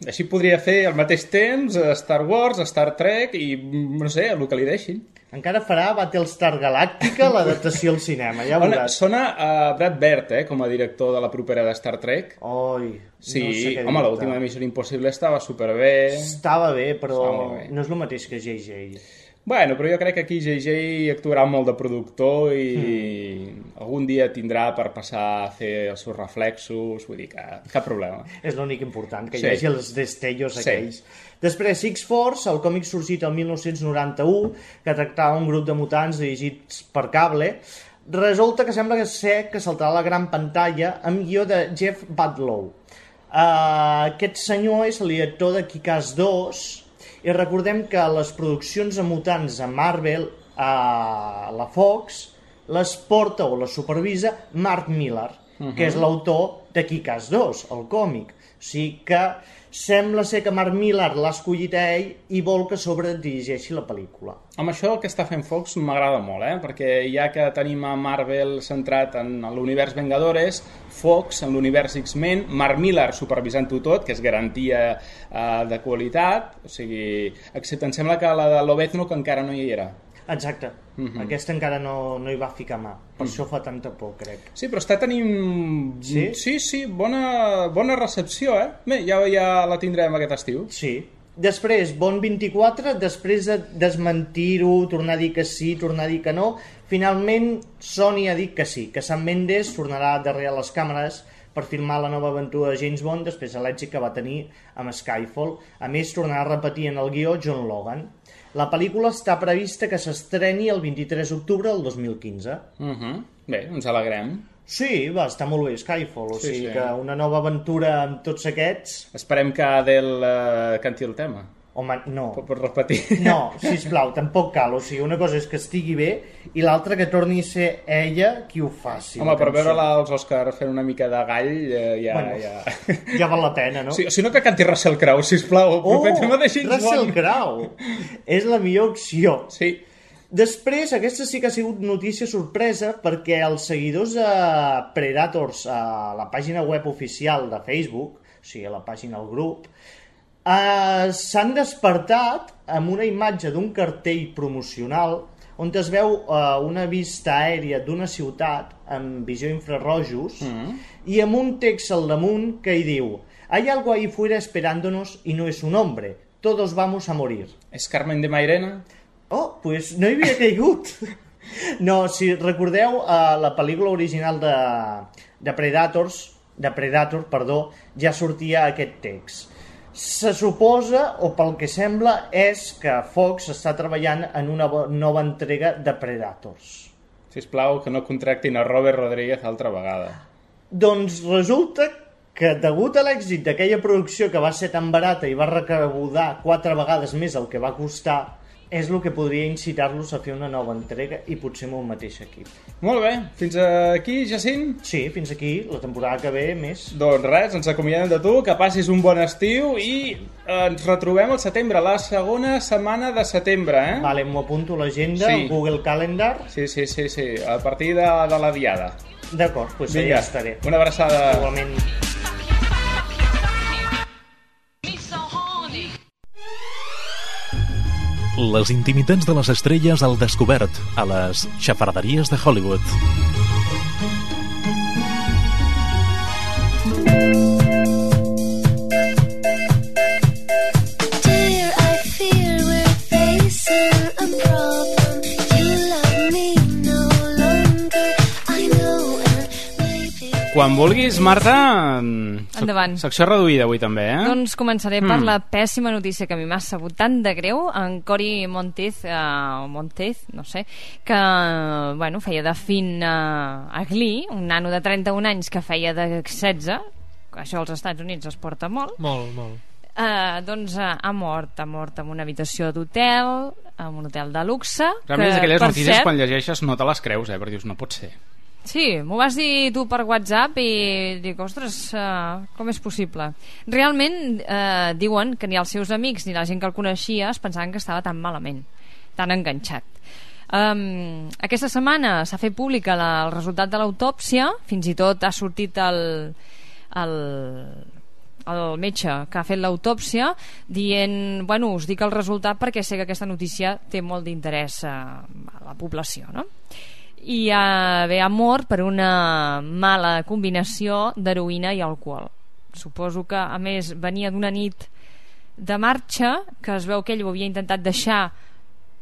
Així podria fer al mateix temps Star Wars, Star Trek i, no sé, el que li deixin. Encara farà Battlestar Galàctica, l'adaptació al cinema, ja veuràs. Sona a Brad Bird, com a director de la propera de Star Trek. Sí, no sé què home, l'última Missió Impossible estava superbé. Estava bé, però no és el mateix que J.J. Bueno, però jo crec que aquí J.J. actuarà molt de productor i algun dia tindrà per passar a fer els seus reflexos, vull dir que cap problema. És l'únic important, que hi hagi els destellos aquells. Després, X-Force, el còmic sorgit el 1991, que tractava un grup de mutants dirigits per cable, resulta que sembla que saltarà a la gran pantalla amb guió de Jeff Badlow. Aquest senyor és el director de Kick-Ass 2, i recordem que les produccions de mutants a Marvel, a la Fox, les porta o les supervisa Mark Millar, que és l'autor de Kick-Ass 2, el còmic. O sigui que sembla ser que Mark Millar l'ha escollit a ell i vol que sobredirigeixi la pel·lícula. Amb això el que està fent Fox m'agrada molt, perquè ja que tenim a Marvel centrat en l'univers Vengadores, Fox en l'univers X-Men, Mark Millar supervisant-ho tot, que és garantia de qualitat, o sigui, excepte em sembla que la de Lobezno que encara no hi era. Exacte, aquesta encara no hi va ficar mà, per això fa tanta por, crec. Sí, però està tenint... Sí, bona recepció, Bé, ja la tindrem aquest estiu. Sí. Després, Bond 24, després de desmentir-ho, tornar a dir que sí, tornar a dir que no, finalment Sony ha dit que sí, que Sam Mendes tornarà darrere les càmeres per filmar la nova aventura de James Bond després de l'èxit que va tenir amb Skyfall. A més, tornarà a repetir en el guió John Logan. La pel·lícula està prevista que s'estreni el 23 d'octubre del 2015. Bé, ens alegrem. Sí, va estar molt bé Skyfall, o sigui que una nova aventura amb tots aquests... Esperem que Adele canti el tema. Home, no. Pots repetir? No, sisplau, tampoc cal. O sigui, una cosa és que estigui bé i l'altra que torni a ser ella qui ho faci. Home, per veure-la als Oscars fent una mica de gall ja val la pena, no? Si no, que canti Russell Crowe, sisplau. Russell Crowe! És la millor opció. Sí. Després, aquesta sí que ha sigut notícia sorpresa perquè els seguidors de Predators a la pàgina web oficial de Facebook, o sigui, a la pàgina del grup, s'han despertat amb una imatge d'un cartell promocional on es veu una vista aèria d'una ciutat amb visió infrarrojos i amb un text al damunt que hi diu: «Hay algo ahí fuera esperándonos y no es un hombre. Todos vamos a morir». És Carmen de Mairena? Oh, pues no hi havia caigut. No, si recordeu, la pel·lícula original de Predator, ja sortia aquest text. Se suposa, o pel que sembla, és que Fox està treballant en una nova entrega de Predators. Sisplau, que no contractin a Robert Rodríguez altra vegada. Doncs resulta que, degut a l'èxit d'aquella producció que va ser tan barata i va recaudar 4 vegades més el que va costar, és el que podria incitar-los a fer una nova entrega i potser amb el mateix equip. Molt bé, fins aquí, Jacint? Sí, fins aquí, la temporada que ve més. Doncs res, ens acomiadem de tu, que passis un bon estiu i ens retrobem al setembre, la segona setmana de setembre, Vale, m'ho apunto a l'agenda, Google Calendar. Sí, a partir de la diada. D'acord, doncs ja estaré. Una abraçada. Igualment. Les intimitats de les estrelles al descobert a les xafarderies de Hollywood. quan vulguis, Marta. Endavant. Secció reduïda avui també, Doncs començaré per la pèssima notícia que a mi m'ha sabut tant de greu. En Cory Monteith, no sé, que feia de Finn a Glee, un nano de 31 anys que feia de 16. Això als Estats Units es porta molt. Molt. Doncs ha mort en una habitació d'hotel, en un hotel de luxe. Realment és aquelles notícies quan llegeixes no te les creus, perquè dius, no pot ser. Sí, m'ho vas dir tu per WhatsApp i dic, ostres, com és possible? Realment diuen que ni els seus amics ni la gent que el coneixia es pensaven que estava tan malament, tan enganxat. Aquesta setmana s'ha fet pública el resultat de l'autòpsia, fins i tot ha sortit el metge que ha fet l'autòpsia dient, us dic el resultat perquè sé que aquesta notícia té molt d'interès a la població, no? I ha mort per una mala combinació d'heroïna i alcohol. Suposo que a més venia d'una nit de marxa, que es veu que ell ho havia intentat deixar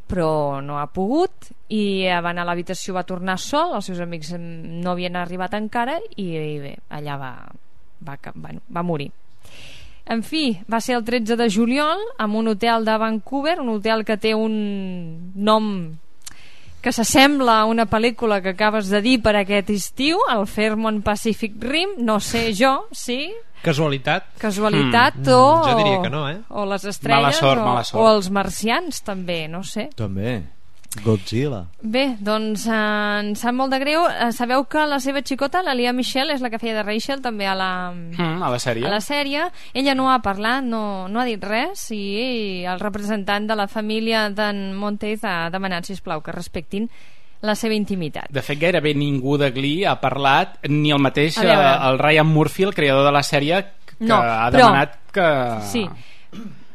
però no ha pogut, i va anar a l'habitació, va tornar sol, els seus amics no havien arribat encara i bé, allà va morir. En fi, va ser el 13 de juliol en un hotel de Vancouver, un hotel que té un nom que s'assembla a una pel·lícula que acabes de dir per aquest estiu, el Fairmont Pacific Rim, no sé jo, sí? Casualitat o... jo diria que no, o les estrelles, mala sort. O els marcians també, no sé. També Godzilla. Bé, doncs em sap molt de greu. Sabeu que la seva xicota, la Lea Michele, és la que feia de Rachel també a la sèrie. Ella no ha parlat, no ha dit res, i el representant de la família d'en Monteith ha demanat, sisplau, que respectin la seva intimitat. De fet, gairebé ningú de Glee ha parlat, ni el mateix el Ryan Murphy, el creador de la sèrie, que ha demanat que... Sí,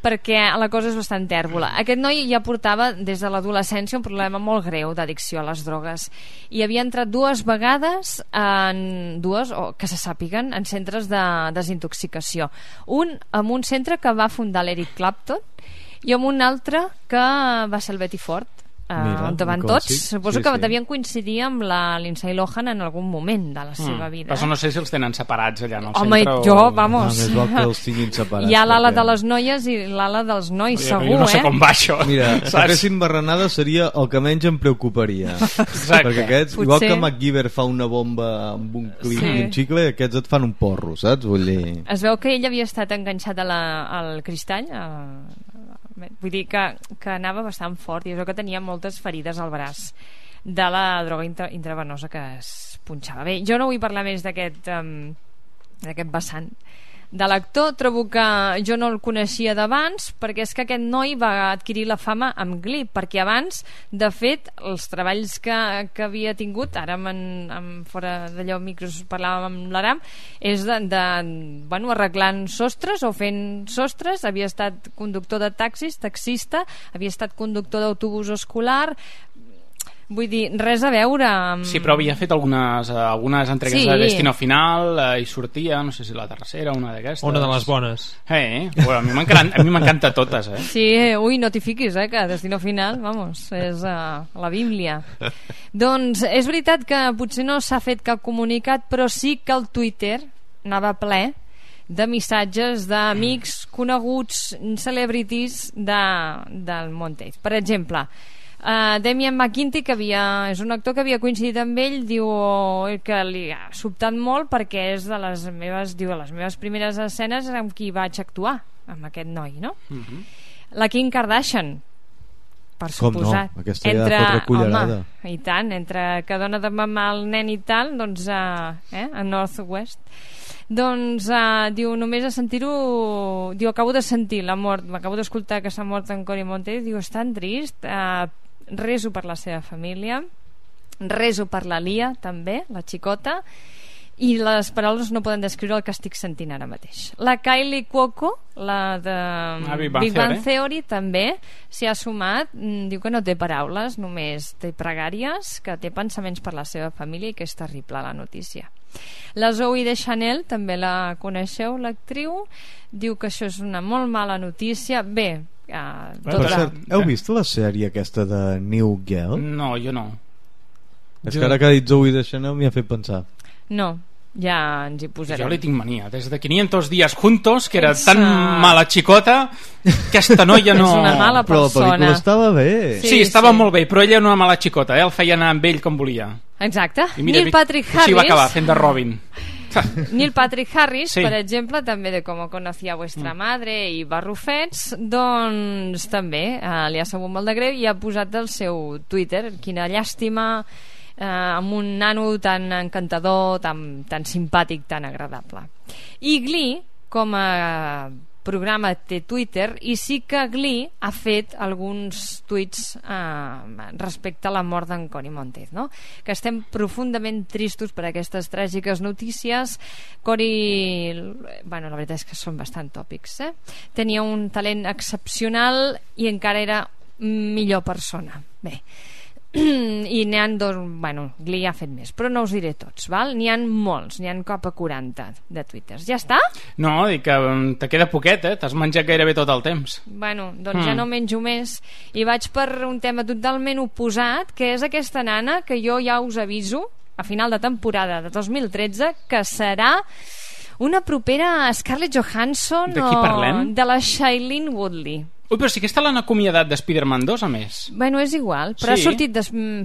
perquè la cosa és bastant tèrbola. Aquest noi ja portava des de l'adolescència un problema molt greu d'addicció a les drogues i havia entrat 2 vegades que se sàpiguen, en centres de desintoxicació. Un en un centre que va fundar l'Eric Clapton i en un altre que va ser el Betty Ford, on van tots. Suposo que devien coincidir amb la Lindsay Lohan en algun moment de la seva vida. Però no sé si els tenen separats allà en el centre. Home, jo, vamos. Més val que els tinguin separats. Hi ha l'ala de les noies i l'ala dels nois, segur, jo no sé com va això. Mira, si fessin barranada seria el que menys em preocuparia. Perquè aquests, igual que MacGyver fa una bomba amb un clip i un xicle, aquests et fan un porro, saps? Vull dir... Es veu que ell havia estat enganxat al cristall, vull dir que anava bastant fort i és que tenia moltes ferides al braç de la droga intravenosa que es punxava. Bé, jo no vull parlar més d'aquest vessant de l'actor. Trobo que jo no el coneixia d'abans, perquè és que aquest noi va adquirir la fama amb Glee, perquè abans, de fet, els treballs que havia tingut, ara fora d'allò micros parlàvem amb l'Aram, és arreglant sostres o fent sostres. Havia estat conductor de taxis, taxista, havia estat conductor d'autobús escolar. Vull dir, res a veure amb... Sí, però havia fet algunes entregues de Destino Final, i sortia, no sé si la tercera, una d'aquestes. Una de les bones. Bueno, a mi m'encanta totes, Sí, no t'hi fiquis, que Destino Final, vamos, és la Bíblia. Doncs és veritat que potser no s'ha fet cap comunicat, però sí que el Twitter anava ple de missatges d'amics, coneguts, celebrities del Monteith. Per exemple, Damian McKinty, que és un actor que havia coincidit amb ell, diu que li ha sobtat molt perquè és de les meves primeres escenes amb qui vaig actuar, amb aquest noi, no? La Kim Kardashian, per suposat. Com no? Aquesta ja fotre cullerada. I tant, entre que dona de mamar el nen i tal, doncs a Northwest. Doncs diu, només a sentir-ho, diu, acabo de sentir la mort, m'acabo d'escoltar que s'ha mort en Cory Monteith, diu, és tan trist, reso per la seva família, reso per la Lia també, la xicota, i les paraules no poden descriure el que estic sentint ara mateix. La Kylie Cuoco, la de Big Bang Theory, també s'hi ha sumat, diu que no té paraules, només té pregàries, que té pensaments per la seva família i que és terrible la notícia. La Zoe de Chanel, també la coneixeu, l'actriu, diu que això és una molt mala notícia. Bé, per cert, heu vist la sèrie aquesta de New Girl? No, jo no. És que ara que ha dit Zoe de Chanel m'hi ha fet pensar. No, ja ens hi posarem. Jo li tinc mania, des de 500 días juntos, que era tan mala xicota, aquesta noia no... És una mala persona. Però la pel·lícula estava bé. Sí, estava molt bé, però ella era una mala xicota, el feia anar amb ell com volia. Exacte. I mira, Neil Patrick Harris... Així va acabar, fent de Robin. Neil Patrick Harris, Sí. per exemple, també de Com conocía vuestra madre i Barrufets, doncs també li ha sabut molt de greu i ha posat al seu Twitter: quina llàstima, amb un nano tan encantador, tan simpàtic, tan agradable. I Glee, com a programa, té Twitter, i sí que Glee ha fet alguns tuits respecte a la mort d'en Cory Monteith, no? Que estem profundament tristos per aquestes tràgiques notícies. Cory, bueno, la veritat és que són bastant tòpics, tenia un talent excepcional i encara era millor persona. Bé, i n'hi ha dos, bueno, Glee ha fet més, però no us diré tots, val? N'hi ha molts, n'hi ha cap a 40 de twitters. Ja està? No, dic que te queda poquet, t'has menjat gairebé tot el temps. Bueno, doncs ja no menjo més i vaig per un tema totalment oposat, que és aquesta nana que jo ja us aviso a final de temporada de 2013 que serà una propera Scarlett Johansson. De qui parlem? De la Shailene Woodley. Ui, però sí que està l'han acomiadat de Spider-Man 2, a més. Bueno, és igual, però Sí. ha sortit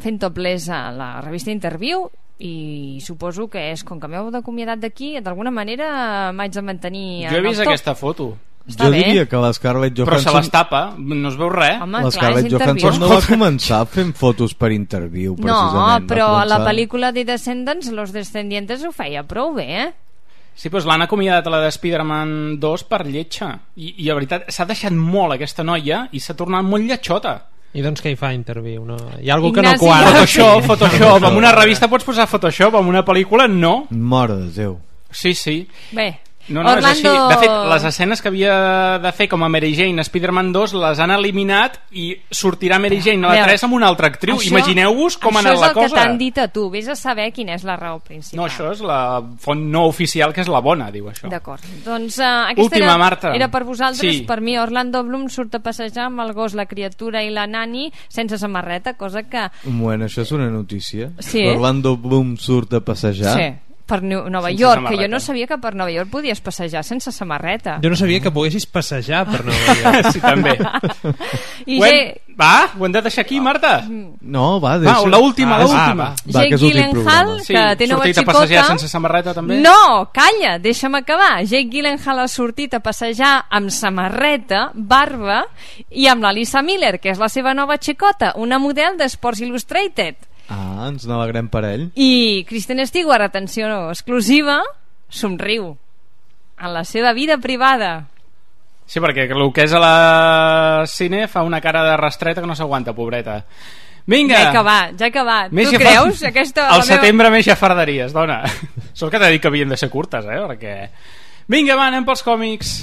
fent topless a la revista Interview i suposo que és, com que m'heu acomiadat d'aquí, d'alguna manera m'haig de mantenir Jo he en vist el top. aquesta foto. Està Jo bé. diria que la Scarlett Però se Johansson... les tapa, no es veu res. Home, La clar, Scarlett és Interview. Johansson no va començar fent fotos per Interview, No, precisament. però Va a la començar- pel·lícula de Descendants, Los Descendientes ho feia prou bé, Sí, doncs l'han acomiadat a la de Spider-Man 2 per lletja. I la veritat, s'ha deixat molt aquesta noia i s'ha tornat molt lletjota. I doncs què hi fa Interview? No? Hi ha algú que Ignasi, no quadra. Photoshop. En una revista pots posar Photoshop, en una pel·lícula no. Mare de Déu. Sí, sí. Bé, No, Orlando... és així. De fet, les escenes que havia de fer com a Mary Jane a Spider-Man 2 les han eliminat i sortirà Mary Jane a la 3 amb una altra actriu. Imagineu-vos com ha anat la cosa. Això és el que t'han dit a tu. Vés a saber quina és la raó principal. No, això és la font no oficial, que és la bona, diu això. D'acord. Doncs aquesta Última, Marta. era per vosaltres. Sí. Per mi, Orlando Bloom surt a passejar amb el gos, la criatura i la nani sense samarreta, cosa que... Un moment, això és una notícia? Sí. Orlando Bloom surt a passejar? Sí, per Nova Sense York, samarreta. que jo no sabia que per Nova York podies passejar sense samarreta. Jo no sabia que poguessis passejar per Nova York. Sí, també. I Ho hem de deixar aquí, Marta? No, va, Va, l'última, l'última. Jake Gyllenhaal, que té nova sortit a xicota... passejar sense samarreta, també? No, calla, deixa'm acabar. Jake Gyllenhaal ha sortit a passejar amb samarreta, barba i amb la Lisa Miller, que és la seva nova xicota, una model d'Sports Illustrated. Ah, ens n'alegrem per ell. I Kristen Stewart, atenció exclusiva, somriu en la seva vida privada. Sí, perquè el que és a la cine fa una cara de rastreta que no s'aguanta, pobreta. Vinga! Ja he acabat, ja he acabat. Més Tu creus? Aquesta, Al setembre més xafarderies, dona. Sort que t'he dit que havien de ser curtes, perquè... Vinga, va, anem pels còmics.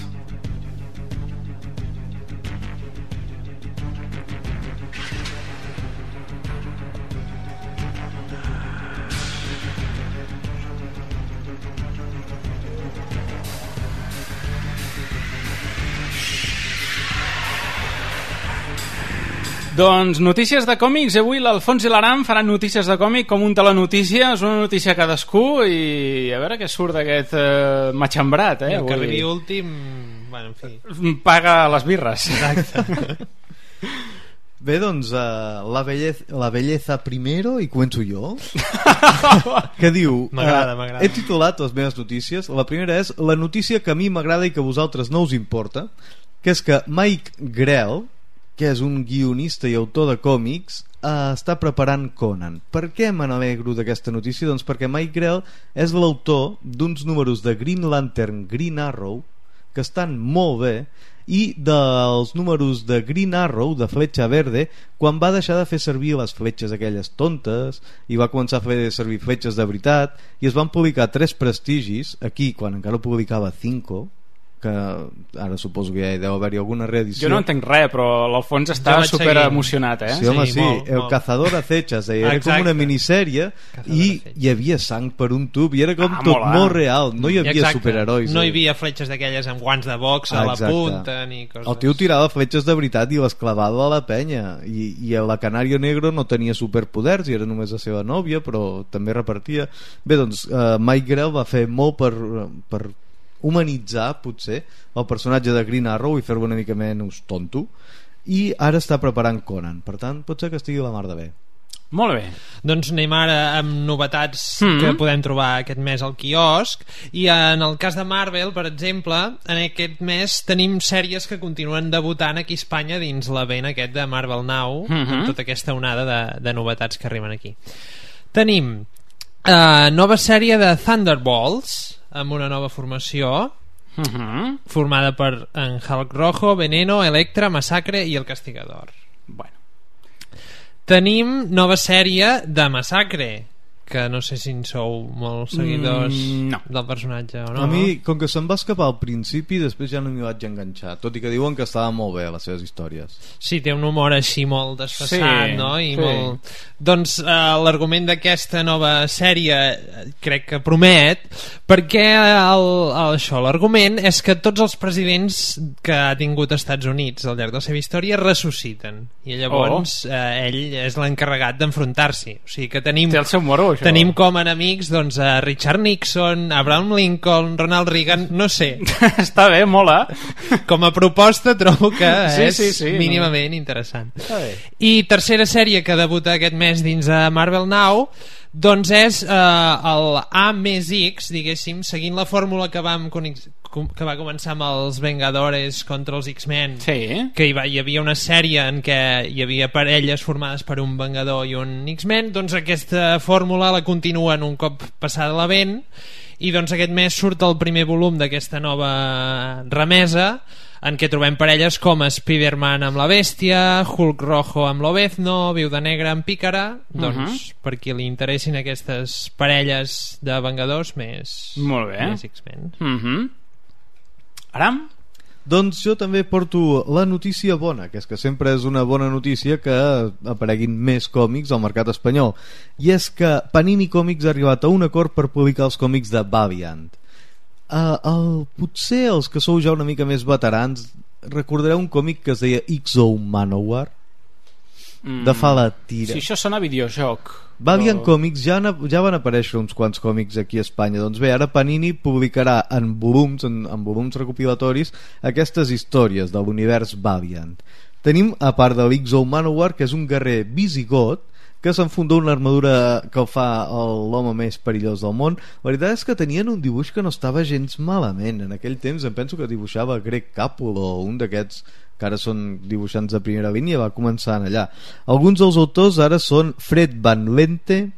Doncs notícies de còmics. Avui l'Alfons i l'Aram faran notícies de còmic com un telenotícia. És una notícia cadascú i a veure què surt d'aquest matxembrat. I el que arribi últim... Bueno, en fi. Paga les birres. Exacte. Bé, doncs, la belleza primero, i començo jo. Que diu... M'agrada. He titulat les meves notícies. La primera és la notícia que a mi m'agrada i que a vosaltres no us importa, que és que Mike Grell, que és un guionista i autor de còmics, està preparant Conan. Per què me n'alegro d'aquesta notícia? Doncs perquè Mike Grell és l'autor d'uns números de Green Lantern, Green Arrow, que estan molt bé, i dels números de Green Arrow, de Fletxa Verde, quan va deixar de fer servir les fletxes aquelles tontes i va començar a fer servir fletxes de veritat, i es van publicar 3 prestigis aquí, quan encara publicava 5, que ara suposo que ja hi deu haver-hi alguna reedició. Jo no entenc res, però l'Alfons està super emocionat, Sí, home, sí. El Cazador Acechas, era com una minissèrie i hi havia sang per un tub i era com tot molt real, no hi havia superherois. No hi havia fletxes d'aquelles amb guants de box a la punta ni coses. El tio tirava fletxes de veritat i les clavava a la penya i la Canario Negro no tenia superpoders i era només la seva nòvia, però també repartia. Bé, doncs Mike Grell va fer molt per humanitzar potser el personatge de Green Arrow i fer-lo una mica menys tonto, i ara està preparant Conan, per tant pot ser que estigui la mar de bé. Molt bé. Doncs anem ara amb novetats que podem trobar aquest mes al quiosc, i en el cas de Marvel, per exemple, en aquest mes tenim sèries que continuen debutant aquí a Espanya dins l'event aquest de Marvel Now, amb tota aquesta onada de novetats que arriben aquí. Tenim nova sèrie de Thunderbolts amb una nova formació formada per en Hulk Rojo, Veneno, Electra, Massacre i el Castigador. Tenim nova sèrie de Massacre, que no sé si en sou molts seguidors del personatge o no. A mi, com que se'm va escapar al principi, després ja no m'hi vaig enganxar, tot i que diuen que estava molt bé les seves històries. Sí, té un humor així molt desfassat, no? I molt... Doncs l'argument d'aquesta nova sèrie crec que promet, perquè l'argument és que tots els presidents que ha tingut als Estats Units al llarg de la seva història ressusciten, i llavors ell és l'encarregat d'enfrontar-s'hi. O sigui que tenim... Té el seu moró, això. Tenim com enemics doncs, a Richard Nixon, Abraham Lincoln, Ronald Reagan, no sé. Està bé, mola. Com a proposta trobo que és mínimament interessant. I tercera sèrie que debuta aquest mes dins de Marvel Now, doncs és el A+X, diguéssim, seguint la fórmula que va començar amb els Vengadores contra els X-Men, que hi havia una sèrie en què hi havia parelles formades per un Vengador i un X-Men. Doncs aquesta fórmula la continuen un cop passada l'event, i doncs aquest mes surt el primer volum d'aquesta nova remesa, en què trobem parelles com Spider-Man amb la Bèstia, Hulk Rojo amb l'Obezno, Viuda Negra amb Pícara. Doncs per qui li interessin aquestes parelles de Vengadors més X-Men. Aram? Doncs jo també porto la notícia bona, que és que sempre és una bona notícia que apareguin més còmics al mercat espanyol, i és que Panini Comics ha arribat a un acord per publicar els còmics de Valiant. Potser els que sou ja una mica més veterans recordareu un còmic que es deia X-O Manowar, de fa la tira. Sí, això sona a videojoc. Valiant Comics ja van aparèixer uns quants còmics aquí a Espanya. Doncs bé, ara Panini publicarà en volums recopilatoris aquestes històries de l'univers Valiant. Tenim, a part de l'X-O Manowar, que és un guerrer visigot que s'enfunda una armadura que el fa l'home més perillós del món. La veritat és que tenien un dibuix que no estava gens malament. En aquell temps em penso que dibuixava Greg Capullo, un d'aquests que ara són dibuixants de primera línia, va començar allà. Alguns dels autors ara són Fred Van Lente,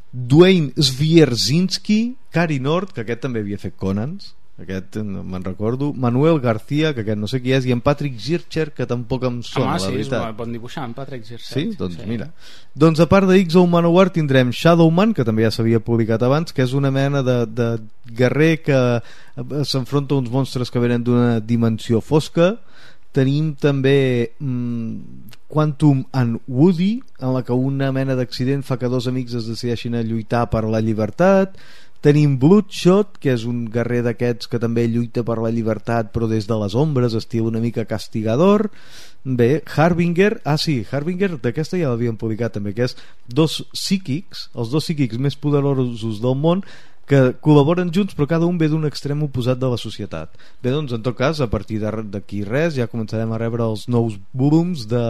Dwayne Swierczynski, Cary Nord, que aquest també havia fet Conans, aquest me'n recordo, Manuel García, que aquest no sé qui és, i en Patrick Zircher, que tampoc em sona, la veritat. Sí, és bon dibuixant, Patrick Zircher. Sí? Doncs mira. Doncs a part de X-O Manowar tindrem Shadowman, que també ja s'havia publicat abans, que és una mena de guerrer que s'enfronta a uns monstres que venen d'una dimensió fosca. Tenim també Quantum and Woody, en la que una mena d'accident fa que dos amics es decideixin a lluitar per la llibertat. Tenim Bloodshot, que és un guerrer d'aquests que també lluita per la llibertat però des de les ombres, estil una mica castigador. Bé, Harbinger, Harbinger d'aquesta ja l'havien publicat també, que és els dos psíquics més poderosos del món, que col·laboren junts però cada un ve d'un extrem oposat de la societat. Bé, doncs en tot cas, a partir d'aquí res ja començarem a rebre els nous volums de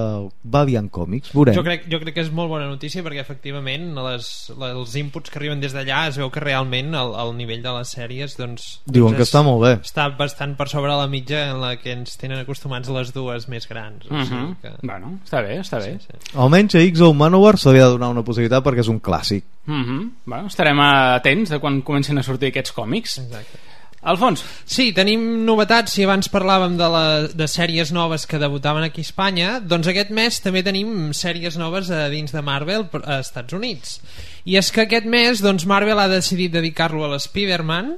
Valiant Comics. Veurem. Jo crec que és molt bona notícia, perquè efectivament els inputs que arriben des d'allà es veu que realment el nivell de les sèries diuen que està molt bé, està bastant per sobre la mitja en la que ens tenen acostumats les dues més grans. O sigui que... Bueno, està bé. Sí. Almenys a X-O Manowar se li ha de donar una possibilitat perquè és un clàssic. Bueno, estarem atents de quan comencen a sortir aquests còmics. Exacte. Alfons? Sí, tenim novetats. Si abans parlàvem de sèries noves que debutaven aquí a Espanya, doncs aquest mes també tenim sèries noves dins de Marvel a Estats Units. I és que aquest mes doncs, Marvel ha decidit dedicar-lo a l'Spider-Man,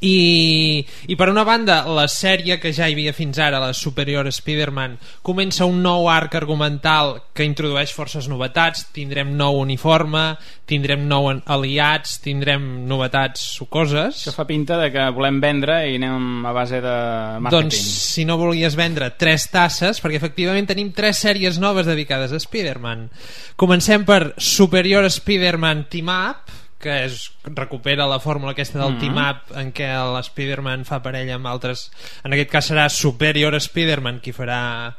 I per una banda, la sèrie que ja hi havia fins ara, la Superior Spider-Man, comença un nou arc argumental que introdueix forces novetats. Tindrem nou uniforme, tindrem nou aliats, tindrem novetats sucoses. Això fa pinta de que volem vendre i anem a base de màrqueting. Doncs si no volies vendre 3 tasses, perquè efectivament tenim 3 sèries noves dedicades a Spider-Man. Comencem per Superior Spider-Man Team Up, que recupera la fórmula aquesta del team-up en què l'Spider-Man fa parella amb altres. En aquest cas serà Superior Spider-Man qui farà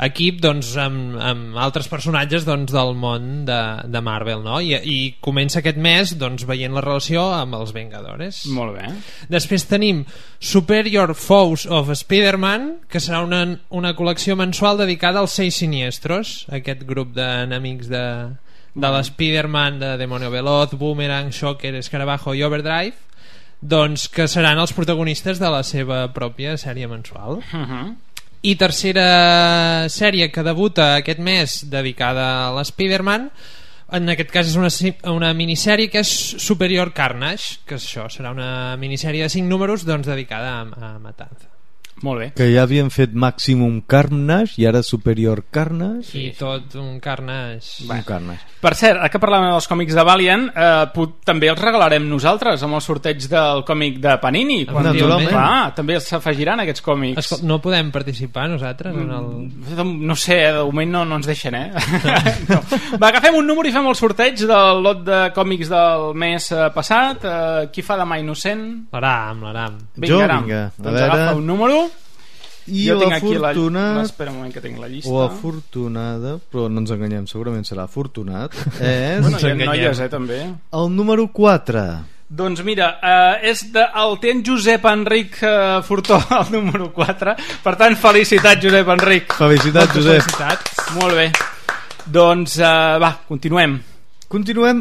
equip, doncs, amb altres personatges, doncs, del món de Marvel, no? I comença aquest mes, doncs, veient la relació amb els Vengadores. Molt bé. Després tenim Superior Foes of Spider-Man, que serà una col·lecció mensual dedicada als 6 Siniestros, aquest grup d'enemics de l'Spider-Man, de Demonio Veloz, Boomerang, Shocker, Escarabajo i Overdrive, doncs que seran els protagonistes de la seva pròpia sèrie mensual. I tercera sèrie que debuta aquest mes dedicada a l'Spider-Man, en aquest cas és una minissèrie que és Superior Carnage, que això serà una minissèrie de 5 números, doncs, dedicada a Matanza. Molt bé. Que ja havien fet Maximum Carnage i ara Superior Carnage. I tot un Carnage. Un Carnage. Per cert, ara que parlàvem dels còmics de Valiant, també els regalarem nosaltres amb el sorteig del còmic de Panini. Naturalment. També s'afegiran aquests còmics. Escolta, no podem participar nosaltres en el... No sé, de moment no ens deixen, no. Va, agafem un número i fem el sorteig del lot de còmics del mes passat. Qui fa de mà innocent? L'Aram. Vinga. Doncs agafa un número. I jo l'afortunat... Espera un moment que tinc la llista. O afortunada, però no ens enganyem, segurament serà afortunat. Bueno, hi ha noies, també. El número 4. Doncs mira, és del ten Josep Enric Fortó, el número 4. Per tant, felicitats, Josep Enric. Felicitats, Josep. Felicitats. Molt bé. Doncs va, continuem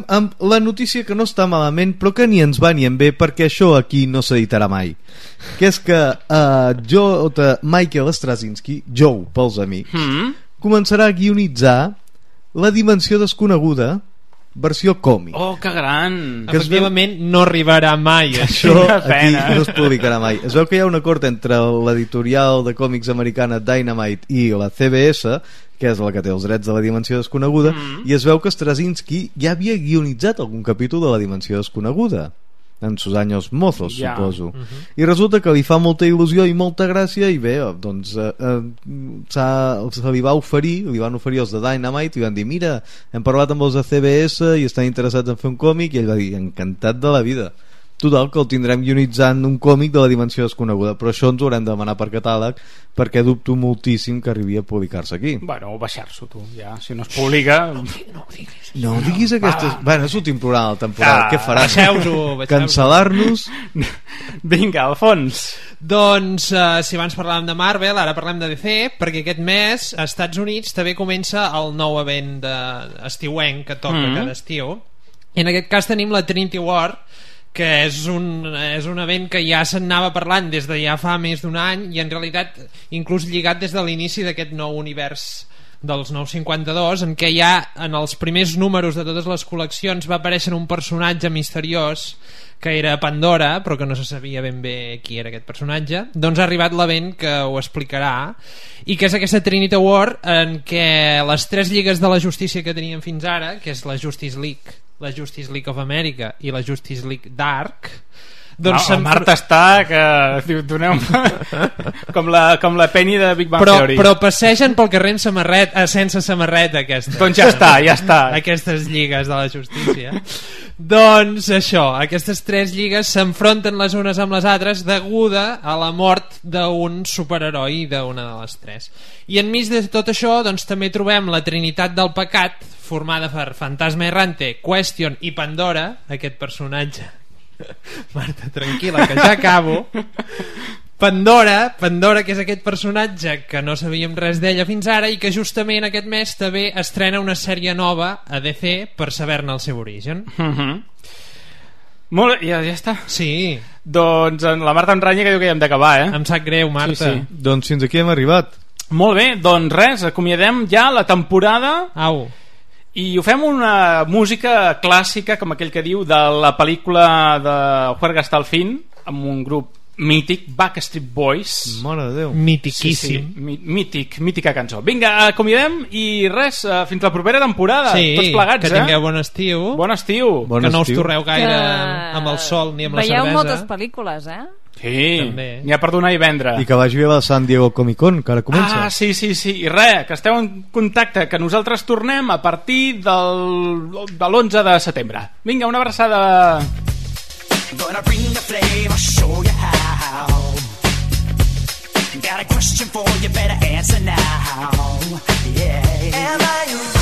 amb la notícia que no està malament, però que ni ens va ni en bé, perquè això aquí no s'editarà mai, que és que Michael Straczynski, Joe pels amics, començarà a guionitzar La Dimensió Desconeguda versió còmic. Oh, que gran! Que efectivament no arribarà mai. Això aquí no es publicarà mai. Es veu que hi ha un acord entre l'editorial de còmics americana Dynamite i la CBS, que és la que té els drets de La Dimensió Desconeguda, i es veu que Straczynski ja havia guionitzat algun capítol de La Dimensió Desconeguda en sus años mozos, suposo. I resulta que li fa molta il·lusió i molta gràcia, i bé, doncs se li van oferir els de Dynamite, i van dir, mira, hem parlat amb els de CBS i estan interessats en fer un còmic, i ell va dir, encantat de la vida. Total, que el tindrem guionitzant un còmic de La Dimensió Desconeguda, però això ens ho haurem de demanar per catàleg, perquè dubto moltíssim que arribi a publicar-se aquí. Bueno, o baixar-s'ho tu, ja, si no es publica... No ho diguis aquestes... Bueno, és l'últim programa de la temporada, què faràs? Baixeu-ho. Cancel·lar-nos? Vinga, Alfons. Doncs, si abans parlàvem de Marvel, ara parlem de DC, perquè aquest mes, als Estats Units, també comença el nou event estiuenc que toca cada estiu. I en aquest cas tenim la Trinity War, que és un event que ja se'n anava parlant des de ja fa més d'un any, i en realitat inclús lligat des de l'inici d'aquest nou univers dels 952, en què ja en els primers números de totes les col·leccions va aparèixer un personatge misteriós que era Pandora, però que no se sabia ben bé qui era aquest personatge. Doncs ha arribat l'event que ho explicarà, i que és aquesta Trinity War, en què les 3 lligues de la justícia que teníem fins ara, que és la Justice League, la Justice League of America i la Justice League Dark, doncs el Marta està que doneu com la Penny de Big Bang Theory, però passegen pel carrer sense samarreta doncs ja està aquestes lligues de la justícia. Doncs això, aquestes 3 lligues s'enfronten les unes amb les altres deguda a la mort d'un superheroi d'una de les 3. I enmig de tot això, doncs, també trobem la Trinitat del Pecat, formada per Fantasma Errante, Question i Pandora, aquest personatge. Marta, tranquil·la, que ja acabo. Pandora, que és aquest personatge que no sabíem res d'ella fins ara, i que justament aquest mes també estrena una sèrie nova a DC per saber-ne el seu origen. Molt bé, ja està. Sí. Doncs la Marta em ranya que diu que ja hem d'acabar, Em sap greu, Marta. Sí. Doncs fins aquí hem arribat. Molt bé, doncs res, acomiadem ja la temporada. Au. I ho fem una música clàssica, com aquell que diu, de la pel·lícula de Juerga hasta el fin, amb un grup mític, Backstreet Boys. Mare de Déu. Mitiquíssim. Mítica cançó. Vinga, acomiadem i res, fins la propera temporada. Tots plegats, que tingueu bon estiu. Bon estiu. Que no us torreu gaire amb el sol ni amb la cervesa. Veieu moltes pel·lícules, Sí, n'hi ha per donar i vendre. I que vagi bé a la San Diego Comic Con, que ara comença. Sí. I res, que esteu en contacte, que nosaltres tornem a partir de l'11 de setembre. Vinga, una abraçada. Gonna bring the flame, I'll show you how. Got a question for you, better answer now. Yeah. Am I